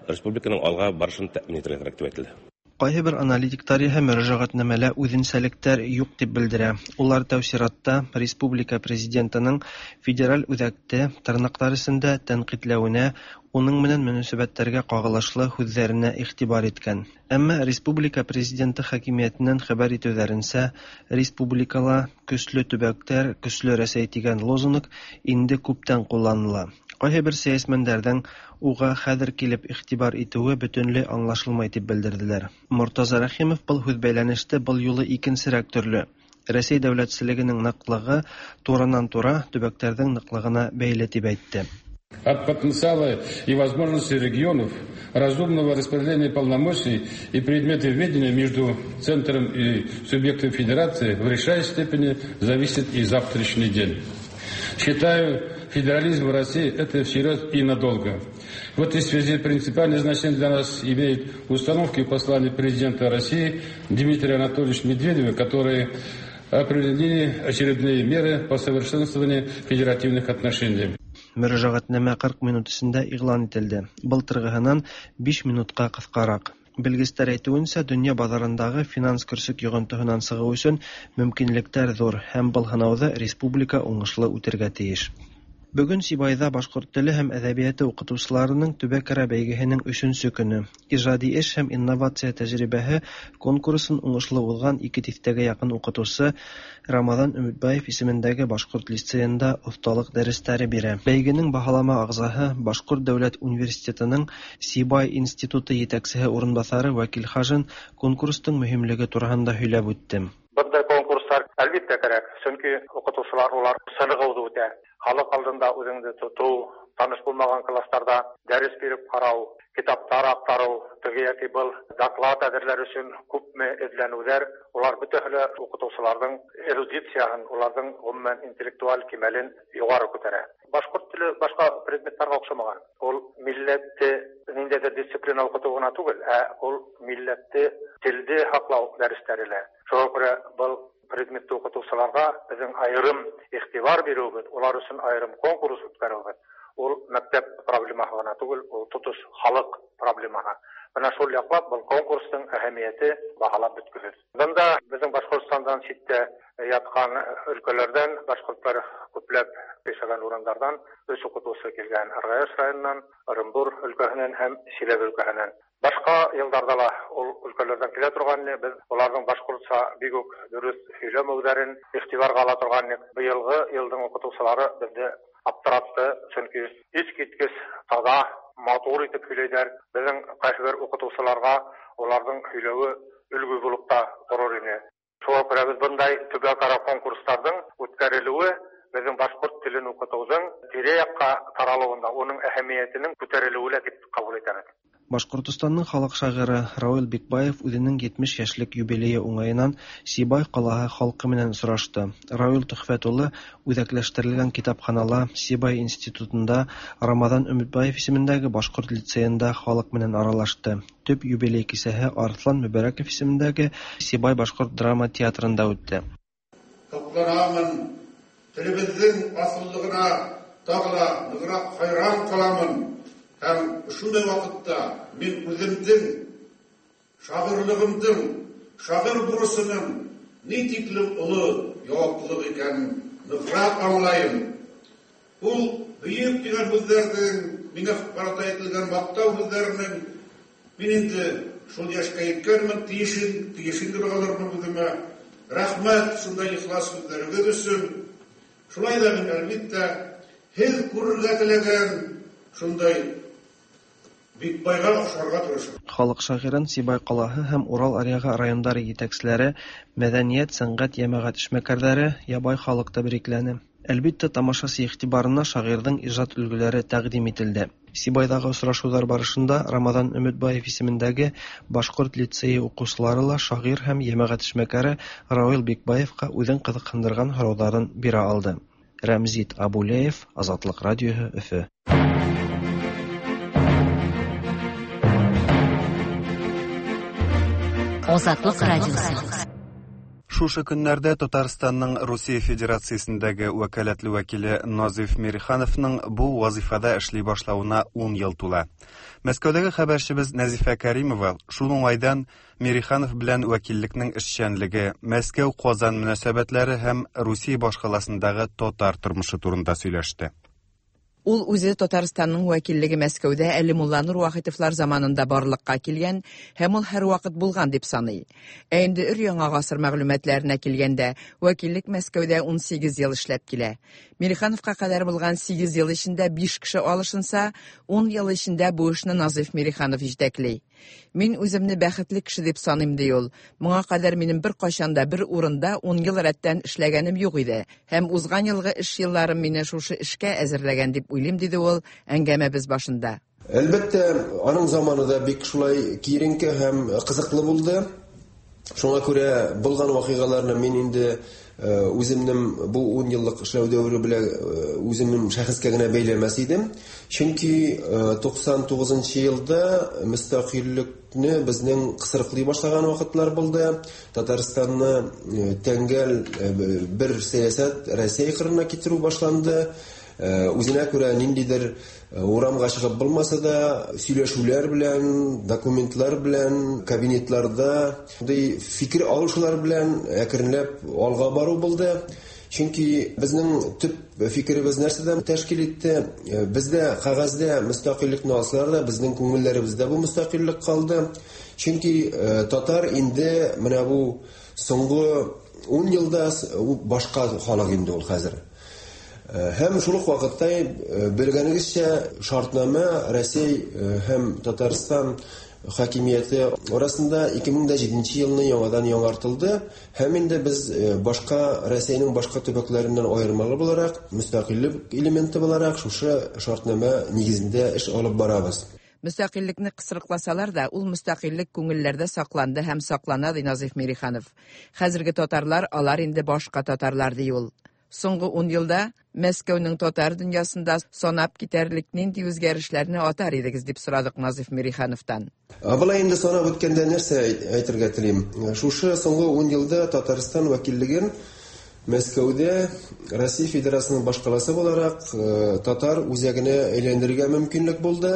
республиканың алға барышын тәьмин итергә кәрәк дип әйтелде. Кайһы бер аналитиктар иһә мөрәҗәгатьнамәлә үҙенсәлектәр юҡ дип белдерә. Улар тәү сиратта республика президентының федераль үҙәкте тырнаҡтар эсендә тәнҡитләүенә, уның менән мөнәсәбәттәргә ҡағылышлы һүҙҙәренә иғтибар иткән. Әммә республика президенты хакимиәтенән хәбәр итеүҙәренсә, республикала көслө төбәктәр, көслө Рәсәй тигән лозунг инде күптән ҡулланыла. Ҡайһы бер сәйәсмәндәрҙең уға хәҙер килеп иғтибар итеүе бөтөнләй аңлашылмай дип белдерҙеләр. Мортаза Рәхимов был һүҙбәйләнеште был юлы икенсерәк төрлө. Рәсәй дәүләтселегенең ныҡлығы туранан-тура төбәктәрҙең ныҡлығына бәйле тип әйтте. От потенциала и возможностей регионов, разумного распределения полномочий и предметов ведения между центром и субъектом федерации в решающей степени зависит и завтрашний день. Считаю, федерализм в России – это всерьез и надолго. В этой связи принципиальное значение для нас имеет установки послания президента России Дмитрия Анатольевича Медведева, которые определили очередные меры по совершенствованию федеративных отношений. Мөрәжәғәтнамә 40 минут эсендә иғлан ителде. Былтырғыһынан 5 минутҡа ҡыҫҡараҡ. Белгестәр әйтеүенсә, донъя баҙарындағы финанс көрсөк йоғонтоһонан сығыу өсөн мөмкинлектәр ҙур һәм был һынауҙы республика уңышлы үтергә тейеш. Бөгөн Сибайҙа башҡорт теле һәм әҙәбиәте уҡытыусыларының төбәк-ара бәйгеһенең өсөнсө көнө. Ижади эш һәм инновация тәжрибәһе конкурсын уңышлы уҙған 2 тиҫтәгә яҡын уҡытыусы Рамаҙан Өмөтбаев исемендәге башҡорт лицейында оҫталыҡ дәрестәре бирә. Бәйгенең баһалама ағзаһы Башҡорт дәүләт университетының Сибай институты етәксеһе урынбаҫары Вәкил Хажин конкурстың мөһимлеге тураһында һөйләп үтте. Бындай конкурстар әлбиттә кәрәк, сөнки уҡытыусылар улар сынығыуҙы үтә. Халыҡ алдында үҙеңде тотоу, таныш булмаған кластарҙа дәрес биреп ҡарау, китаптар аҡтарыу, теге йәки был доклад әҙерләр өсөн күпме эҙләнеүҙәр, улар бөтәһе лә уҡытыусыларҙың эрудицияһын, уларҙың ғөмүмән интеллектуаль кимәлен юғары күтәрә. Башҡорт теле башҡа предметтарға оҡшамаған. Ул милләтте ниндәйдер дисциплина укыту гына түгел, ә ул милләтте, телде һаклау дәресләре лә. Шуңа күрә был предметты укытучыларга безнең аерым игътибар бирүебез, улар өчен аерым конкурс үткәрүебез, ул мәктәп проблемаһы гына түгел, ул тотыш халык проблемаһы. Менә шул яклап был конкурсның әһәмияте баһалап беткесез. Бында безнең Башкортстандан читтә яткан өлкәләрдән башкортлар күпләп яшәгән урыннардан өч укытучы килгән: Аргаяш районыннан, Ырымбур өлкәһеннән һәм Чиләбе өлкәһеннән. Башка елларда ла ул өлкәләрдән килә торган иде. Без уларның башкортча бик үк дөрес сөйләмәүләрен игътибарга ала торган идек. Быелгы елның укытучылары безне аптыратты, чөнки искиткеч таза, матур итеп сөйләйләр. Безнең кайсыбер укытучыларга уларның сөйләве өлге булып та торыр иде. Шуңа күрә без бындай төбәкара конкурсларның үткәрелүе безнең башкорт телен укытуның тирә-якка таралуында, уның әһәмиятенең күтәрелүе лә дип кабул итәбез. Башкортостанның халык шагыйре Рауил Бикбаев үзенең 70 яшьлек юбилее уңаеннан Сибай калаһы халкы белән очрашты. Рауил Төхфәт улы үзәкләштерелгән китапханала, Сибай институтында, Рамазан Өметбаев исемендәге башкорт лицеенда халык белән аралашты. Төп юбилей кичәһе Арыслан Мөбәрәков исемендәге Сибай башкорт драма театрында үтте. Сокланамын, телебезнең асыллыгына тагы да ныграк хайран каламын һәм шундый вакытта мин үземнең шагыйрьлегемнең, шагыйрь бурычының ни тиклем олы яваплылык икәнен ныграк аңлайым. Ул бөек дигән һүзләрнең, миңа карата әйтелгән мактау һүзләренең, мин инде шул яшькә җиткәнмен, тиешен, тиешен дип алырмын үземә. Рәхмәт шундай ихлас сүзләрегез өчен. Шулай да мин, әлбиттә, һез күрергә теләгән шундай Бикбайга охшарга тырышам. Халык шагыйрен Сибай калаһы һәм Урал аръягы районнары җитәкчеләре, мәдәният, сәнгать, йәмәгать эшмәкәрләре, ябай халык тәбрикләне. Әлбиттә, тамашачы игътибарына шагыйрьнең иҗат өлгеләре тәкъдим ителде. Сибайдагы очрашулар барышында Рамазан Өметбаев исемендәге башкорт лицее укучылары ла шагыйрь һәм йәмәгать эшмәкәре Рауил Бикбаевка үзен кызыксындырган сорауларын бирә алды. Рәмзит Абулеев, Азатлык радиоһы, Өфе. Азатлык радиосы. Шушы көннәрдә Татарстанның Русия Федерациясендәге вәкаләтле вәкиле Назиф Мирихановның бу вазифада эшли башлавына 10 ел тула. Мәскәүдәге хәбәрчебез Нәзифә Кәримова шул уңайдан Мириханов белән вәкиллекнең эшчәнлеге, Мәскәү-Казан мөнәсәбәтләре һәм Русия башкаласындагы татар тормышы турында сөйләште. Ул үзе Татарстанның вәкиллеге Мәскәүдә әле Мулланур Вахитовлар заманында барлыкка килгән һәм ул һәрвакыт булган дип саный. Ә инде өр-яңа гасыр мәгълүматларына килгәндә, вәкиллек Мәскәүдә 18 ел эшләп килә. Мирихановка кадәр булган 8 ел эчендә 5 кеше алышынса, 10 ел эчендә бу эшне Назыйф Мириханов җитәкли. Мин үземне бәхетле кеше дип саныйм, ди ул. Моңа кадәр минем беркайчан да бер урында ун ел рәттән эшләгәнем юк иде. Һәм узган елгы эш елларым мине шушы эшкә әзерләгән дип уйлыйм, диде ул әңгәмәбез башында. Әлбәттә, аның заманы да бик шулай киеренке һәм кызыклы булды. Шуңа күрә булган вакыйгаларны мин инде үземнең бу 10 еллык эшләү дәвере белән үземнең шәхескә генә бәйләмәс идем. Чөнки 99 нчы елда мөстәкыйльлекне безнең кысрыклый башлаган вакытлар булды. Татарстанны тәңгәл бер сәясәт Россия кырына китерү башланды. Үзенә күрә ниндидер Урамга чыгып булмаса да, сөйләшүләр белән, документлар белән, кабинетларда шундый фикер алышулар белән әкренләп алга бару булды. Чөнки безнең төп фикеребез нәрсәдән тәшкил итте? Бездә кәгазьдә мөстәкыйльлекне алсалар да, безнең күңелләребездә бу мөстәкыйльлек калды. Чөнки татар инде менә бу соңгы 10 елда башка халык инде ул хәзер. Һәм шул ук вакытта, белгәнегезчә, шартнамә Россия һәм Татарстан хакимияте арасында 2007 елны яңадан яңартылды һәм инде без башка Россиянең башка төбәкләреннән аермалы буларак, мөстәкыйльлек элементы буларак шушы шартнамә нигезендә эш алып барабыз. Мөстәкыйльлекне кысрыкласалар да, ул мөстәкыйльлек күңелләрдә сакланды һәм саклана, ди Назыйф Мириханов. Хәзерге татарлар, алар инде башка татарлар, ди ул. Соңгы 10 елда Мәскәүнең татар дөньясында санап китәрлек нинди үзгәрешләрне атар идегез, дип сорадык Назыйф Мирихановтан. Болай инде санап үткәндә нәрсә әйтергә телим? Шушы соңгы 10 елда Татарстан вәкиллеген Мәскәүдә Россия Федерациясенең башкаласы буларак татар үзәгенә әйләндерергә мөмкинлек булды.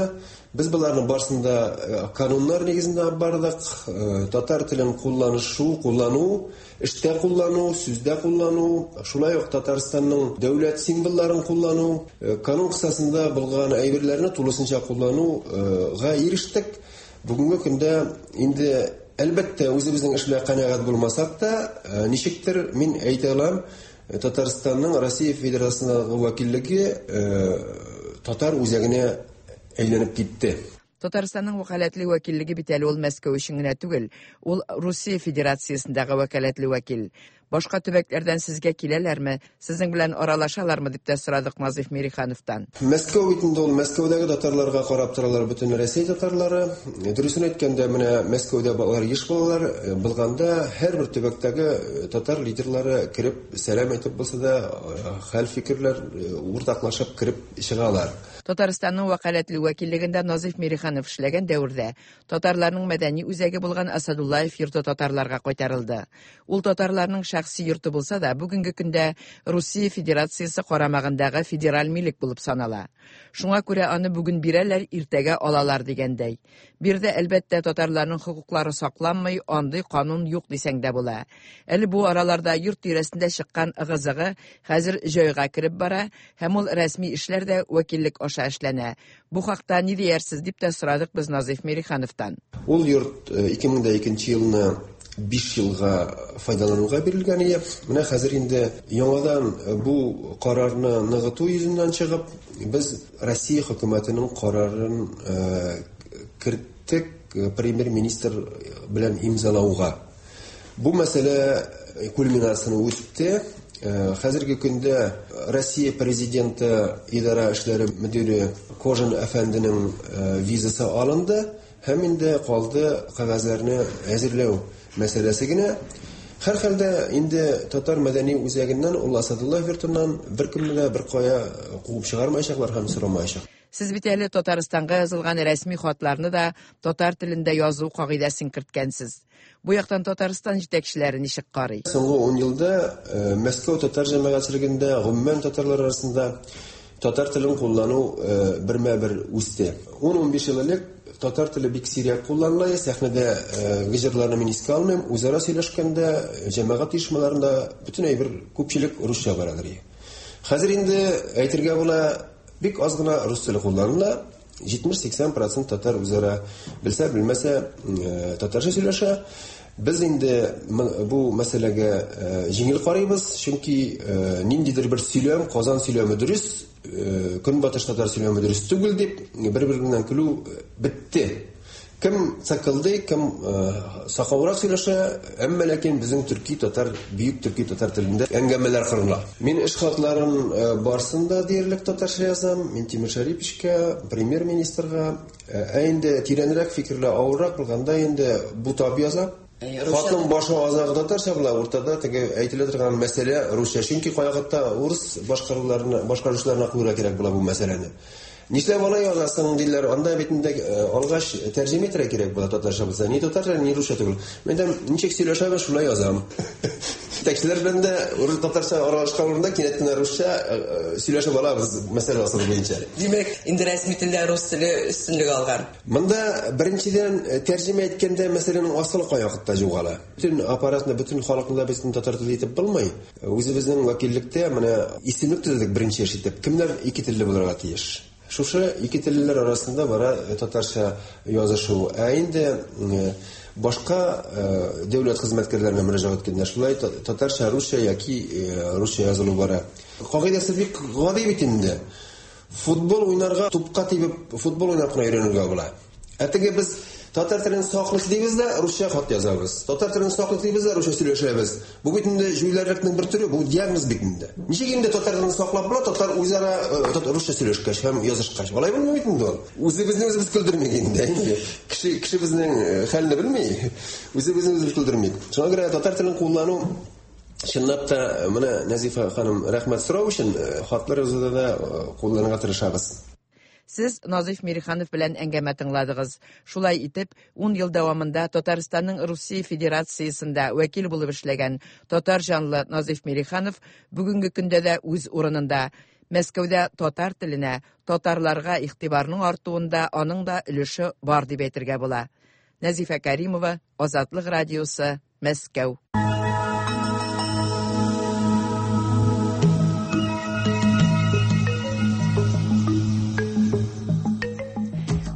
Без боларның барысын да кануннар нигезендә алып бардык. Татар телен кулланышу, куллану, эштә куллану, сүздә куллану, шулай ук Татарстанның дәүләт символларын куллану, канун кысасында булган әйберләрне тулысынча куллануга ирештек. Бүгенге көндә инде, әлбәттә, үзебезнең эш белән канәгать булмасак та, ничектер мин әйтә алам, Татарстанның Россия Федерациясендәге вәкиллеге татар үзәгенә әйләнеп китте. Татарстанның вәкаләтле вәкиллеге бит әле ул Мәскәү өчен генә түгел, ул Русия Федерациясендәге вәкаләтле вәкил. Башка төбәкләрдән сезгә киләләрме, сезнең белән аралашалармы дип тә сорадык Назыйф Мирихановтан. Мәскәү бит инде ул Мәскәүдәге татарларга карап торалар бөтен Рәсәй татарлары. Дөресен әйткәндә, менә Мәскәүдә алар еш булалар. Булганда һәрбер төбәктәге татар лидерлары кереп сәлам әйтеп булса да, хәл фикерләр уртаклашып кереп чыгалар. Татарстанның вәкаләтле вәкиллегендә Назыйф Мириханов эшләгән дәвердә татарларның мәдәни үзәге булган Асадуллаев йорты татарларга кайтарылды. Ул татарларның шәхси йорты булса да, бүгенге көндә Русия Федерациясе карамагындагы федераль милек булып санала. Шуңа күрә аны бүген бирәләр, иртәгә алалар дигәндәй. Биредә, әлбәттә, татарларның хокуклары сакланмый, андый канун юк дисәң дә була. Әле бу араларда йорт тирәсендә чыккан ыгы-зыгы хәзер җайга кереп бара һәм ул рәсми эшләр дә вәкиллек аша эшләнә. Бу хакта ни диярсез дип тә сорадык без Назыйф Мирихановтан. Ул йорт 2002 елны 5 елга файдалануга бирелгән иде. Менә хәзер инде яңадан бу карарны ныгыту йөзеннән чыгып, без Россия хөкүмәтенең карарын керттек премьер-министр белән имзалауга. Бу мәсьәлә кульминацияне үтте. Хәзерге көндә Россия президенты идарә эшләре мөдире Кожин әфәнденең визасы алынды һәм инде калды кәгазьләрне әзерләү мәсьәләсе генә. Һәр хәлдә инде татар мәдәни үзәгеннән, ул Асадуллаев йортыннан беркемне дә бер кая куып чыгармаячаклар һәм сорамаячак. Сез бит әле Татарстанга язылган рәсми хатларны да татар телендә язу кагыйдәсен керткәнсез. Бу яктан Татарстан җитәкчеләре ничек карый? Соңгы 10 елда Мәскәү татар җәмәгатьчелегендә, гомумән татарлар арасында татар телен куллану бермә-бер үсте. 10-15 ел элек татар теле бик сирәк кулланыла, сәхнәдә җырларны мин искә алмыйм, үзара сөйләшкәндә, җәмәгать оешмаларында бөтен әйбер күпчелек русча барадыр. Хәзер инде әйтергә була, бик аз гына рус теле кулланыла. 70-80% татар үзара белсә, белмәсә татарча сөйләшә. Без инде бу мәсьәләгә җиңел карыйбыз, чөнки ниндидер бер сөйләм, Казан сөйләме дөрес, Көнбатыш татар сөйләме дөрес түгел дип бер-береннән көлү бетте. Кем цакылдый, кем сакаурак сөйләшә, әмма ләкин безнең төрки татар, бөек төрки татар телендә әңгәмәләр корыла. Мин эш хатларын барсын да диярлек татарча язам, Минтимер Шәриповичка, премьер-министрга. Ә инде тирәнрәк фикерле, авыррак булганда инде бутап язам. Хатның башы азагы татарча була, уртада теге әйтелә торган мәсьәлә русча. Чөнки кайвакытта урыс башкаручыларына куярга кирәк була бу мәсьәләне. Нишләп алай язасың диләр, анда бит инде алгач тәрҗемә итәргә кирәк була татарча булса. Ни татарча, ни русча түгел. Мин дә ничек сөйләшәбез, шулай язам. Җитәкчеләр белән дә урыс татарча аралашкан урында кинәт кенә русча сөйләшеп алабыз мәсьәлә асылы буенча. Димәк, инде рәсми телдә рус теле өстенлек алган. Монда беренчедән тәрҗемә иткәндә мәсьәләнең асылы кайвакытта югала. Бөтен аппаратны, бөтен халыкны да безнең татар теле итеп булмый. Үзебезнең вәкиллектә менә исемлек төзедек беренче эш итеп. Кемнәр ике телле булырга тиеш? Шушы ике теллеләр арасында бара татарча язышу. Ә инде башка дәүләт хезмәткәрләренә мөрәҗәгать иткәндә шулай татарча, русча яки русча язылу бара. Кагыйдәсе бик гади бит инде. Футбол уйнарга тупка тибеп футбол уйнап кына өйрәнергә була. Ә теге без татар телен саклык дибез дә, русча хат язабыз. Татар телен саклык дибез дә, русча сөйләшәбез. Бу бит инде җүләрлекнең бер төре, бу диагноз бит инде. Ничек инде татар телен саклап була, татар үзара русча сөйләшкәч һәм язышкач. Алай булмый бит инде ул. Үзебезне үзебез көлдермик инде. Кеше безнең хәлне белми. Үзебезне үзебез көлдермик. Шуңа күрә татар телен куллану Чынлап та, менә Нәзифә ханым, рәхмәт сорау өчен, хатлар язуда да кулланырга тырышабыз. Сез Назыйф Мириханов белән әңгәмә тыңладыгыз. Шулай итеп, ун ел дәвамында Татарстанның Русия Федерациясендә вәкил булып эшләгән татар җанлы Назыйф Мириханов бүгенге көндә дә үз урынында. Мәскәүдә татар теленә, татарларга игътибарның артуында аның да өлеше бар дип әйтергә була. Нәзифә Кәримова, Азатлык радиосы, Мәскәү.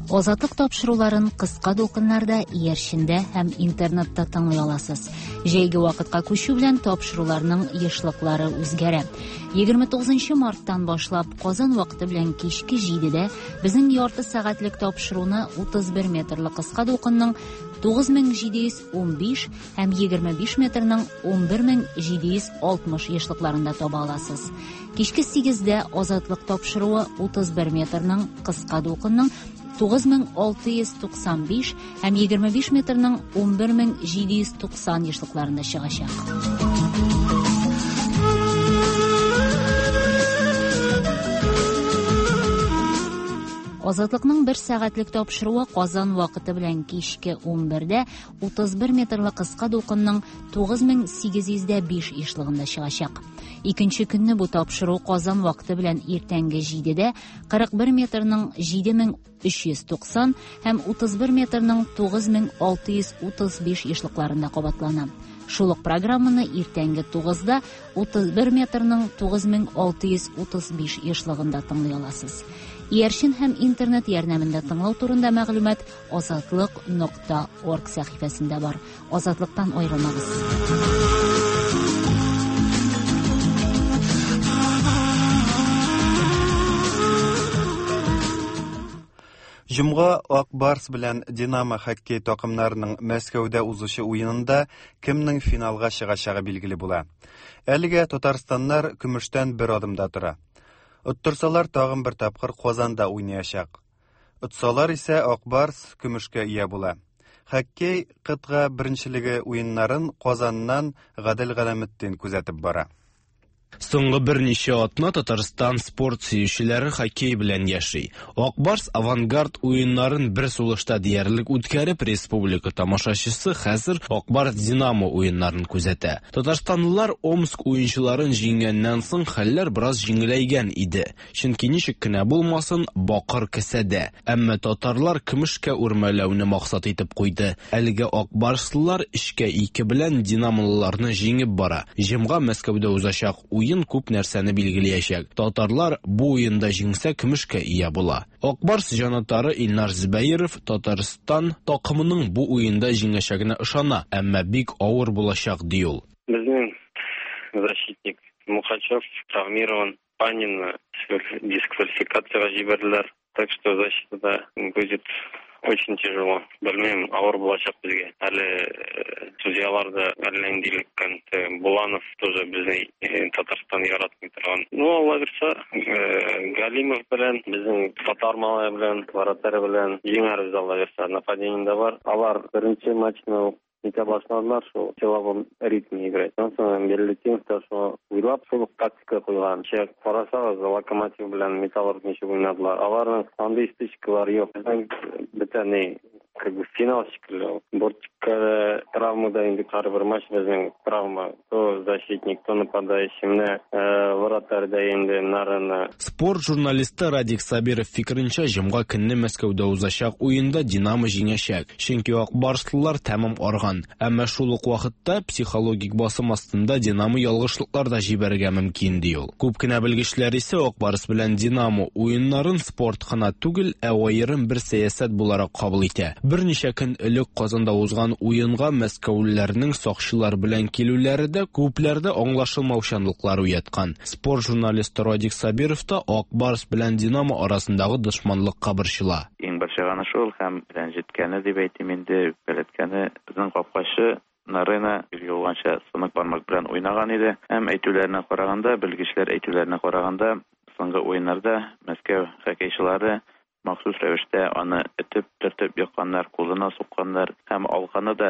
Азатлык тапшыруларын кыска дулкыннарда, иярчендә һәм интернетта тыңлый аласыз. Җәйге вакытка күчү белән тапшыруларның ешлыклары үзгәрә. 29 марттан башлап Казан вакыты белән кичке 7-дә безнең ярты сәгатьлек тапшыруны 31 метрлы кыска дулкынның 9715 һәм 25 метрның 11760 ешлыкларында таба аласыз. Кичке 8-дә Азатлык тапшыруы 31 метрның кыска дулкынның 9695 һәм 25 метрның 11790 ешлыкларында чыгачак. Азатлыкның бер сәгатьлек тапшыруы Казан вакыты белән кичке 11-дә 31 метрлы кыска дулкынның 9805 ешлыгында чыгачак. Икенче көнне бу тапшыру Казан вакыты белән иртәнге 7-дә 41 метрның 7390 һәм 31 метрның 9635 ешлыкларында кабатлана. Шул ук программаны иртәнге 9-да 31 метрның 9635 ешлыгында тыңлый аласыз. Иярчен һәм интернет ярдәмендә тыңлау турында мәгълүмат азатлык.орг сәхифәсендә бар. Азатлыктан аерылмагыз. Җомга Ак Барс белән Динамо хоккей такымнарының Мәскәүдә узучы уенында кемнең финалга чыгачагы билгеле була. Әлегә татарстаннар көмештән бер адымда тора. Оттырсалар тагын бер тапкыр Казанда уйнаячак. Отсалар исә Ак Барс көмешкә ия була. Хоккей кытга беренчелеге уеннарын Казаннан Гадел Галәметдин күзәтеп бара. Соңгы берничә атна Татарстан спорт сөючеләре хоккей белән яши. Ак Барс Авангард уеннарын бер сулышта диярлек үткәреп, республика тамашачысы хәзер Ак Барс Динамо уеннарын күзәтә. Татарстанлылар Омск уенчыларын җиңгәннән соң хәлләр бераз җиңеләйгән иде. Чөнки ничек кенә булмасын, бакыр кесәдә. Әмма татарлар көмешкә үрмәләүне максат итеп куйды. Әлегә Ак Барслылар 3-2 белән динамолыларны җиңеп бара. Җомга Мәскәүдә узачак уен күп нәрсәне билгеләячәк. Татарлар бу уенда җиңсә көмешкә ия була. Ак Барс җанатары Илнар Зөбәеров Татарстан такымының бу уенда җиңәчәгенә ышана, әмма бик авыр булачак, ди ул. Безнең защитник Мухачев травмирован, Панина дисквалификациягә җибәрделәр. Так что защитада будет очень тяжело. Белмим, авыр булачак безгә. Әле судьялар да әллә нинди эләккән. Буланов тоже безне Татарстан яратмый торган. Ну, Алла бирсә, Галимов белән, безнең татар малае белән, вратарь белән җиңәрбез, Алла бирсә. Нападение дә бар. Алар беренче матчны ук нитә башладылар, шул силовом ритме играть. Аннан соң Билалетдинов та шуны уйлап, шул ук тактика куйган. Кичә карасагыз, Локомотив белән Металлург ничек уйнадылар. Аларның андый стычкалары юк. Безнең бөтә ни, как бы финал шикелле ул. Бортикка травма да инде һәрбер матч безнең травма. То защитник, то нападающий. Менә вратарь да инде Нарына. Спорт журналисты Радик Сабиров фикеренчә, җомга көнне Мәскәүдә узачак уенда Динамо җиңәчәк. Чөнки ак барслылар тәмам арган. Әмма шул ук вакытта психологик басым астында Динамо ялгышлыклар да җибәрергә мөмкин, ди ул. Күп кенә белгечләр исә Ак Барс белән Динамо уеннарын спорт кына түгел, ә аерым бер сәясәт буларак кабул итә. Берничә көн элек Казанда узган уенга мәскәүлеләрнең сакчылар белән килүләре дә күпләрдә аңлашылмаучанлыклар уяткан. Спорт журналисты Радик Сабиров та Ак Барс белән Динамо арасындагы дошманлыкка борчыла. Иң борчыганы шул һәм рәнҗеткәне дип әйтим инде, үпкәләткәне, безнең капкачы Нарына билгеле булганча сынык бармак белән уйнаган иде. Һәм әйтүләренә караганда, белгечләр әйтүләренә караганда, соңгы уеннарда Мәскәү хоккейчылары Махсус рәвештә аны этеп, төртеп екканнар, кулына сукканнар һәм алканы да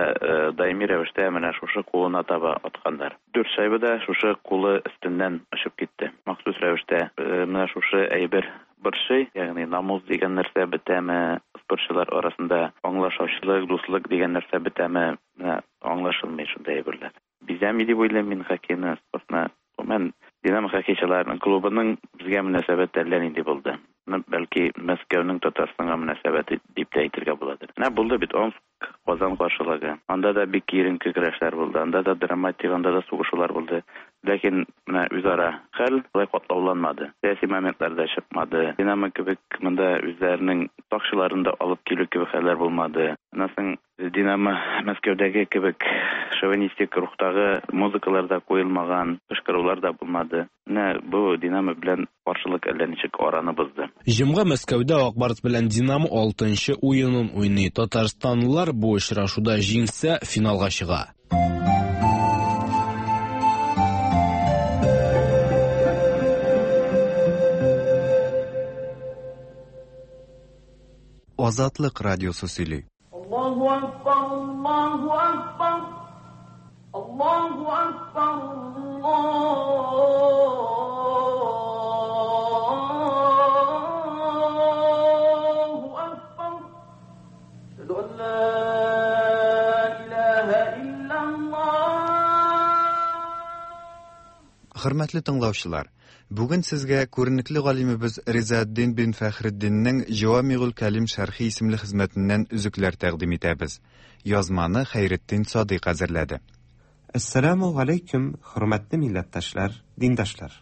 даими рәвештә менә шушы кулына таба атканнар. Дүрт шайба да шушы кулы өстеннән очып китте. Махсус рәвештә менә шушы әйбер борчый, ягъни намус дигән нәрсә бетәме, спортчылар арасында аңлашаучылык, дуслык дигән нәрсә бетәме, менә аңлашылмый шундый әйберләр. Бизәми дип уйлыйм мин хоккейны, спортны. Гомумән, Динамо хоккейчыларының клубының безгә мөнәсәбәте әллә нинди булды. Ну, бәлки, Мәскәүнең Татарстанга мөнәсәбәте дип тә әйтергә буладыр. Менә булды бит Омск, Казан каршылыгы. Анда да бик киеренке көрәшләр булды, анда да драматик, анда да сугышулар булды. Ләкин менә үзара хәл алай катлауланмады. Сәяси моментлар да чыкмады. Динамо кебек монда үзләренең сакчыларын да алып килү кебек хәлләр булмады. Аннан соң Динамо Мәскәүдәге кебек шовинистик рухтагы музыкалар да куелмаган, кычкырулар да булмады. Менә бу Динамо белән каршылык әллә ничек араны бозды. Җомга Мәскәүдә Ак Барс белән Динамо алтынчы уенын уйный. Татарстанлылар бу очрашуда җиңсә, финалга чыга. Азатлык радиосы сөйли. Аллаһу акбар, Аллаһу акбар, Аллаһу акбар, Аллаһу акбар. Әшһәду ан ла илаһа илляллаһ. Хөрмәтле тыңлаучылар, бүген сезгә күренекле галимебез Ризаэддин бин Фәхретдиннең Җавамигуль Кәлим шәрхи исемле хезмәтеннән өзекләр тәкъдим итәбез. Язманы Хәйретдин Садыйк әзерләде. Әссәламү галәйкүм, хөрмәтле милләттәшләр, диндашлар!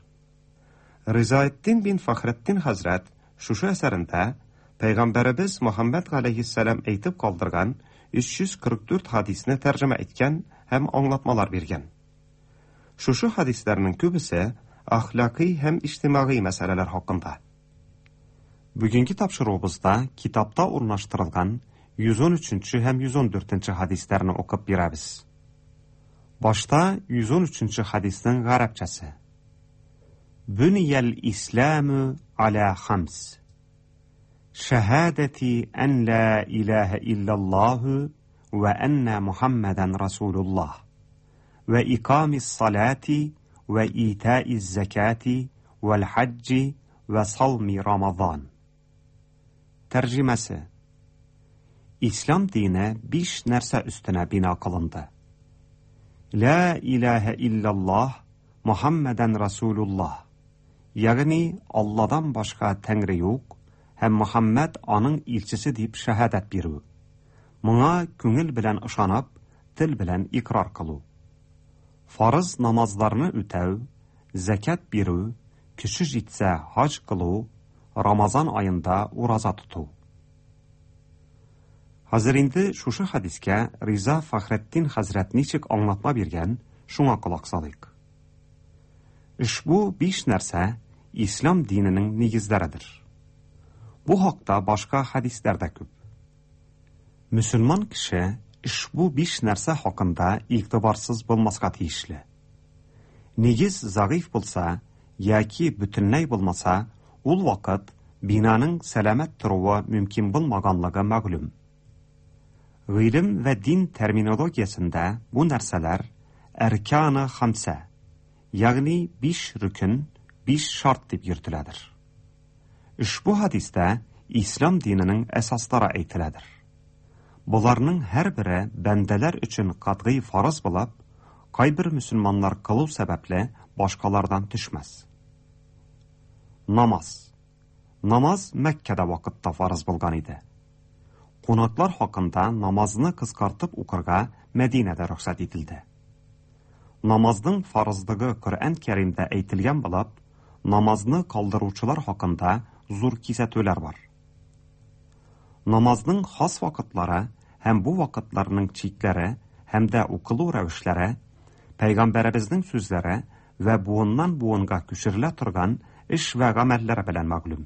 Ризаэддин бин Фәхретдин хәзрәт шушы әсәрендә Пәйгамбәребез Мөхәммәд галәйһиссәлам әйтеп калдырган 344 хәдисне тәрҗемә иткән һәм аңлатмалар биргән. Шушы хәдисләрнең күбесе әхлакый һәм иҗтимагый мәсьәләләр хакында. Бүгенге тапшыруыбызда китапта урнаштырылган 113 нче һәм 114 нче хәдисләрне укып бирәбез. Башта 113 нче хәдиснең гарәпчәсе. Бөниял исламу аля хамс. Шәһадәти ән ла илаһә иллаллаһу вә әннә Мухаммәдән расулуллаһ. Вә икамис салати вә итаиз зәкати вәл хаҗҗи вә сауми Рамазан. Тәрҗемәсе. Ислам дине биш нәрсә өстенә бина кылынды. Лә илаһә илляллаһ, Мухаммәдән расулуллаһ. Ягъни Алладан башка Тәңре юк һәм Мөхәммәд аның илчесе дип шәһадәт бирү. Моңа күңел белән ышанып, тел белән икърар кылу. Фарыз намазларны үтәү, зәкят бирү, көче җитсә хаҗ кылу, Рамазан аенда ураза тоту. Хәзер инде шушы хәдискә Риза Фәхретдин хәзрәт ничек аңлатма биргән, шуңа колак салыйк. Ошбу биш нәрсә ислам диненең нигезләредер. Бу хакта башка хәдисләр дә күп. Мөселман кеше ошбу биш нәрсә хакында игътибарсыз булмаска тиешле. Нигез зәгыйфь булса яки бөтенләй булмаса, ул вакыт бинаның сәламәт торуы мөмкин булмаганлыгы мәгълүм. Гыйлем вә дин терминологиясендә бу нәрсәләр әрканы хамсә, ягъни биш рөкен, биш шарт дип йөртеләдер. Ошбу хәдистә ислам диненең әсаслары әйтеләдер. Боларның һәрбере бәндәләр өчен катгый фарыз булып, кайбер мөселманнар кылу сәбәпле башкалардан төшмәс. Намаз. Намаз Мәккәдә вакытта фарыз булган иде. Кунаклар хакында намазны кыскартып укырга Мәдинәдә рөхсәт ителде. Намазның фарызлыгы Коръән Кәримдә әйтелгән булып, намазны калдыручылар хакында зур кисәтүләр бар. Намазның хас вакытлары һәм бу вакытларның чикләре һәм дә укылу рәвешләре, пәйгамбәребезнең сүзләре вә буыннан буынга күчерелә торган эш вә гамәлләре белән мәгълүм.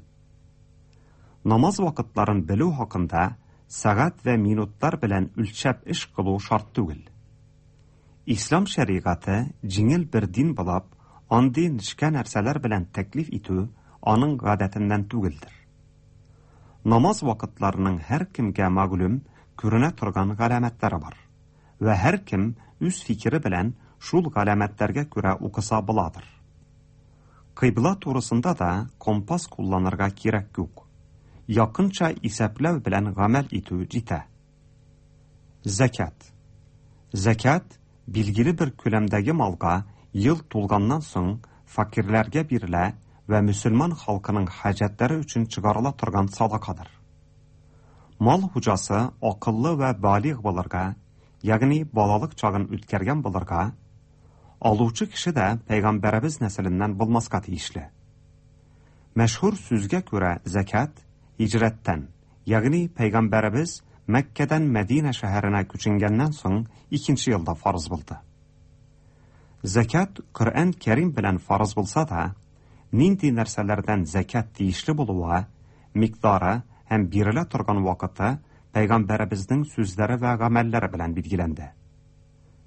Намаз вакытларын белү хакында сәгать вә минутлар белән үлчәп эш кылу шарт түгел. Ислам шәригате җиңел бер дин булып, андый нечкә нәрсәләр белән тәклиф итү аның гадәтеннән түгелдер. Намаз вакытларының һәркемгә мәгълүм күренә торган галәмәтләре бар. Вә һәркем үз фикере белән шул галәмәтләргә күрә укыса буладыр. Кыйбла турысында да компас кулланырга кирәк юк. Якынча исәпләү белән гамәл итү җитә. Зәкят. Зәкят билгеле бер күләмдәге малга ел тулганнан соң фәкыйрьләргә бирелә вә мөселман халкының хаҗәтләре өчен чыгарыла торган садакадыр. Мал хуҗасы акыллы вә балигъ булырга, ягъни балалык чагын үткәргән булырга, алучы кеше дә пәйгамбәребез нәселеннән булмаска тиешле. Мәшһүр сүзгә күрә зәкят һиҗрәттән, ягъни пәйгамбәребез Мәккәдән Мәдинә шәһәренә күченгәннән соң икенче елда фарыз булды. Зәкят Коръән Кәрим белән фарыз булса да, нинди нәрсәләрдән зәкят тиешле булуы, микъдары һәм бирелә торган вакыты пәйгамбәребезнең сүзләре вә гамәлләре белән билгеләнде.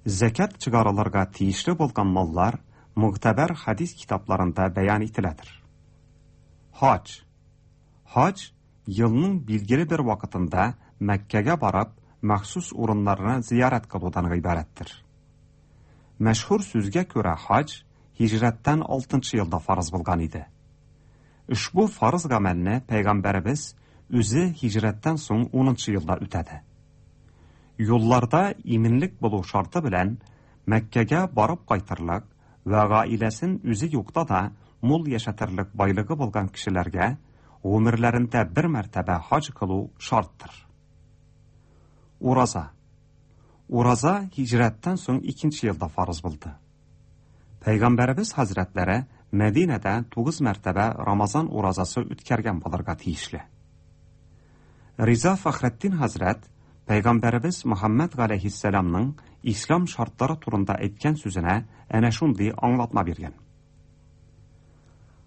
Зәкят чыгарылырга тиешле булган маллар мөгътәбәр хәдис китапларында бәян ителәдер. Хаҗ. Хаҗ елның билгеле бер вакытында Мәккәгә барып, махсус урыннарны зиярәт кылудан гыйбарәттер. Мәшһүр сүзгә күрә хаҗ һиҗрәттән 6 елда фарыз булган иде. Ошбу фарыз гамәлне пәйгамбәребез үзе һиҗрәттән соң 10 елда үтәде. Юлларда иминлек булу шарты белән Мәккәгә барып кайтырлык вә гаиләсен үзе юкта да мул яшәтерлек байлыгы булган кешеләргә гомерләрендә бер мәртәбә хаҗ кылу шарттыр. Ураза. Ураза һиҗрәттән соң икенче елда фарыз булды. Пәйгамбәребез хәзрәтләре Мәдинәдә 9 мәртәбә Рамазан уразасы үткәргән булырга тиешле. Риза Фәхретдин хәзрәт Пәйгамбәребез Мөхәммәд галәйһиссәламның ислам шартлары турында әйткән сүзенә әнә шундый аңлатма биргән.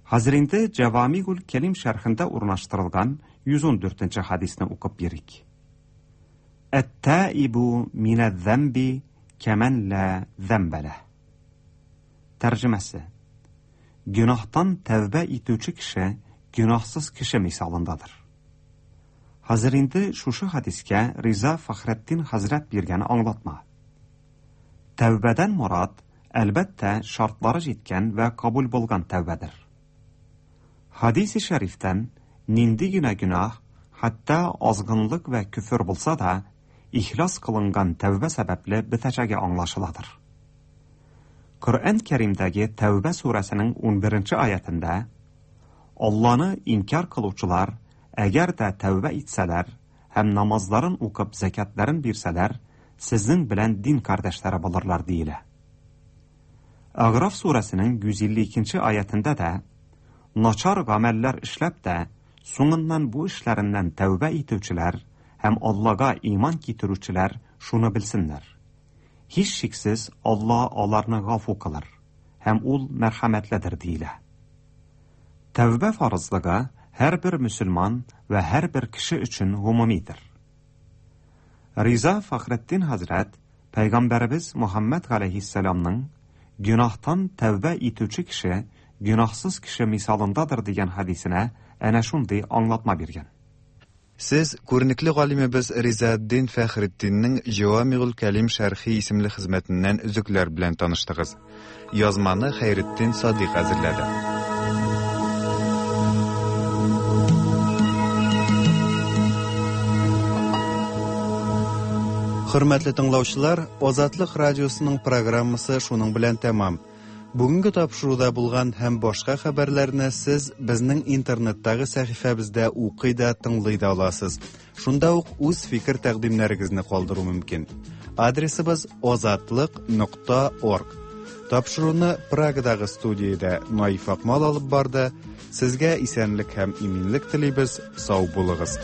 Хәзер инде Җавамигул Кәлим шәрхендә урнаштырылган 114 хәдисне укып бирик. Әт-таибу минәз-зәмби кәмән ла зәмбә ләһ. Тәрҗемәсе. Гөнаһтан тәүбә итүче кеше гөнаһсыз кеше мисалындадыр. Хәзер инде шушы хәдискә Риза Фәхретдин хәзрәт биргән аңлатма. Тәүбәдән морад, әлбәттә, шартлары җиткән вә кабул булган тәүбәдер. Хадиси шәрифтән нинди генә гөнаһ, хәтта азгынлык вә көфер булса да, ихлас кылынган тәүбә сәбәпле бетәчәге аңлашыладыр. Коръән Кәримдәге Тәүбә сүрәсенең 11 аятендә Алланы инкяр кылучылар, әгәр дә тәүбә итсәләр һәм намазларын укып зәкятларын бирсәләр, сезнең белән дин кардәшләре булырлар диелә. Әгъраф сүрәсенең 152 аятендә дә начар гамәлләр эшләп тә, соңыннан бу эшләреннән тәүбә итүчеләр һәм Аллага иман китерүчеләр шуны белсеннәр. Һичшиксез Алла аларны гафу кылыр һәм ул мәрхәмәтледер диелә. Тәүбә фарызлыгы һәрбер мөселман вә һәрбер кеше өчен гомумидер. Риза Фәхретдин хәзрәт Пәйгамбәребез Мөхәммәд галәйһиссәламның гөнаһтан тәүбә итүче кеше гөнаһсыз кеше мисалындадыр дигән хәдисенә әнә шундый аңлатма биргән. Сез күренекле галимебез Ризаэддин Фәхретдиннең Җавамигул Кәлим шәрхи исемле хезмәтеннән өзекләр белән таныштыгыз. Язманы Хәйретдин Садыйк әзерләде. Хөрмәтле тыңлаучылар, Азатлык радиосының программасы шуның белән тәмам. Бүгенге тапшыруда булган һәм башка хәбәрләрне сез безнең интернеттагы сәхифәбездә укый да, тыңлый да аласыз. Шунда ук үз фикер тәкъдимнәрегезне калдыру мөмкин. Адресыбыз озатлык.орг. Тапшыруны Прагадагы студиядә Наиф Акмал алып барды. Сезгә исәнлек һәм иминлек телибез. Сау булыгыз.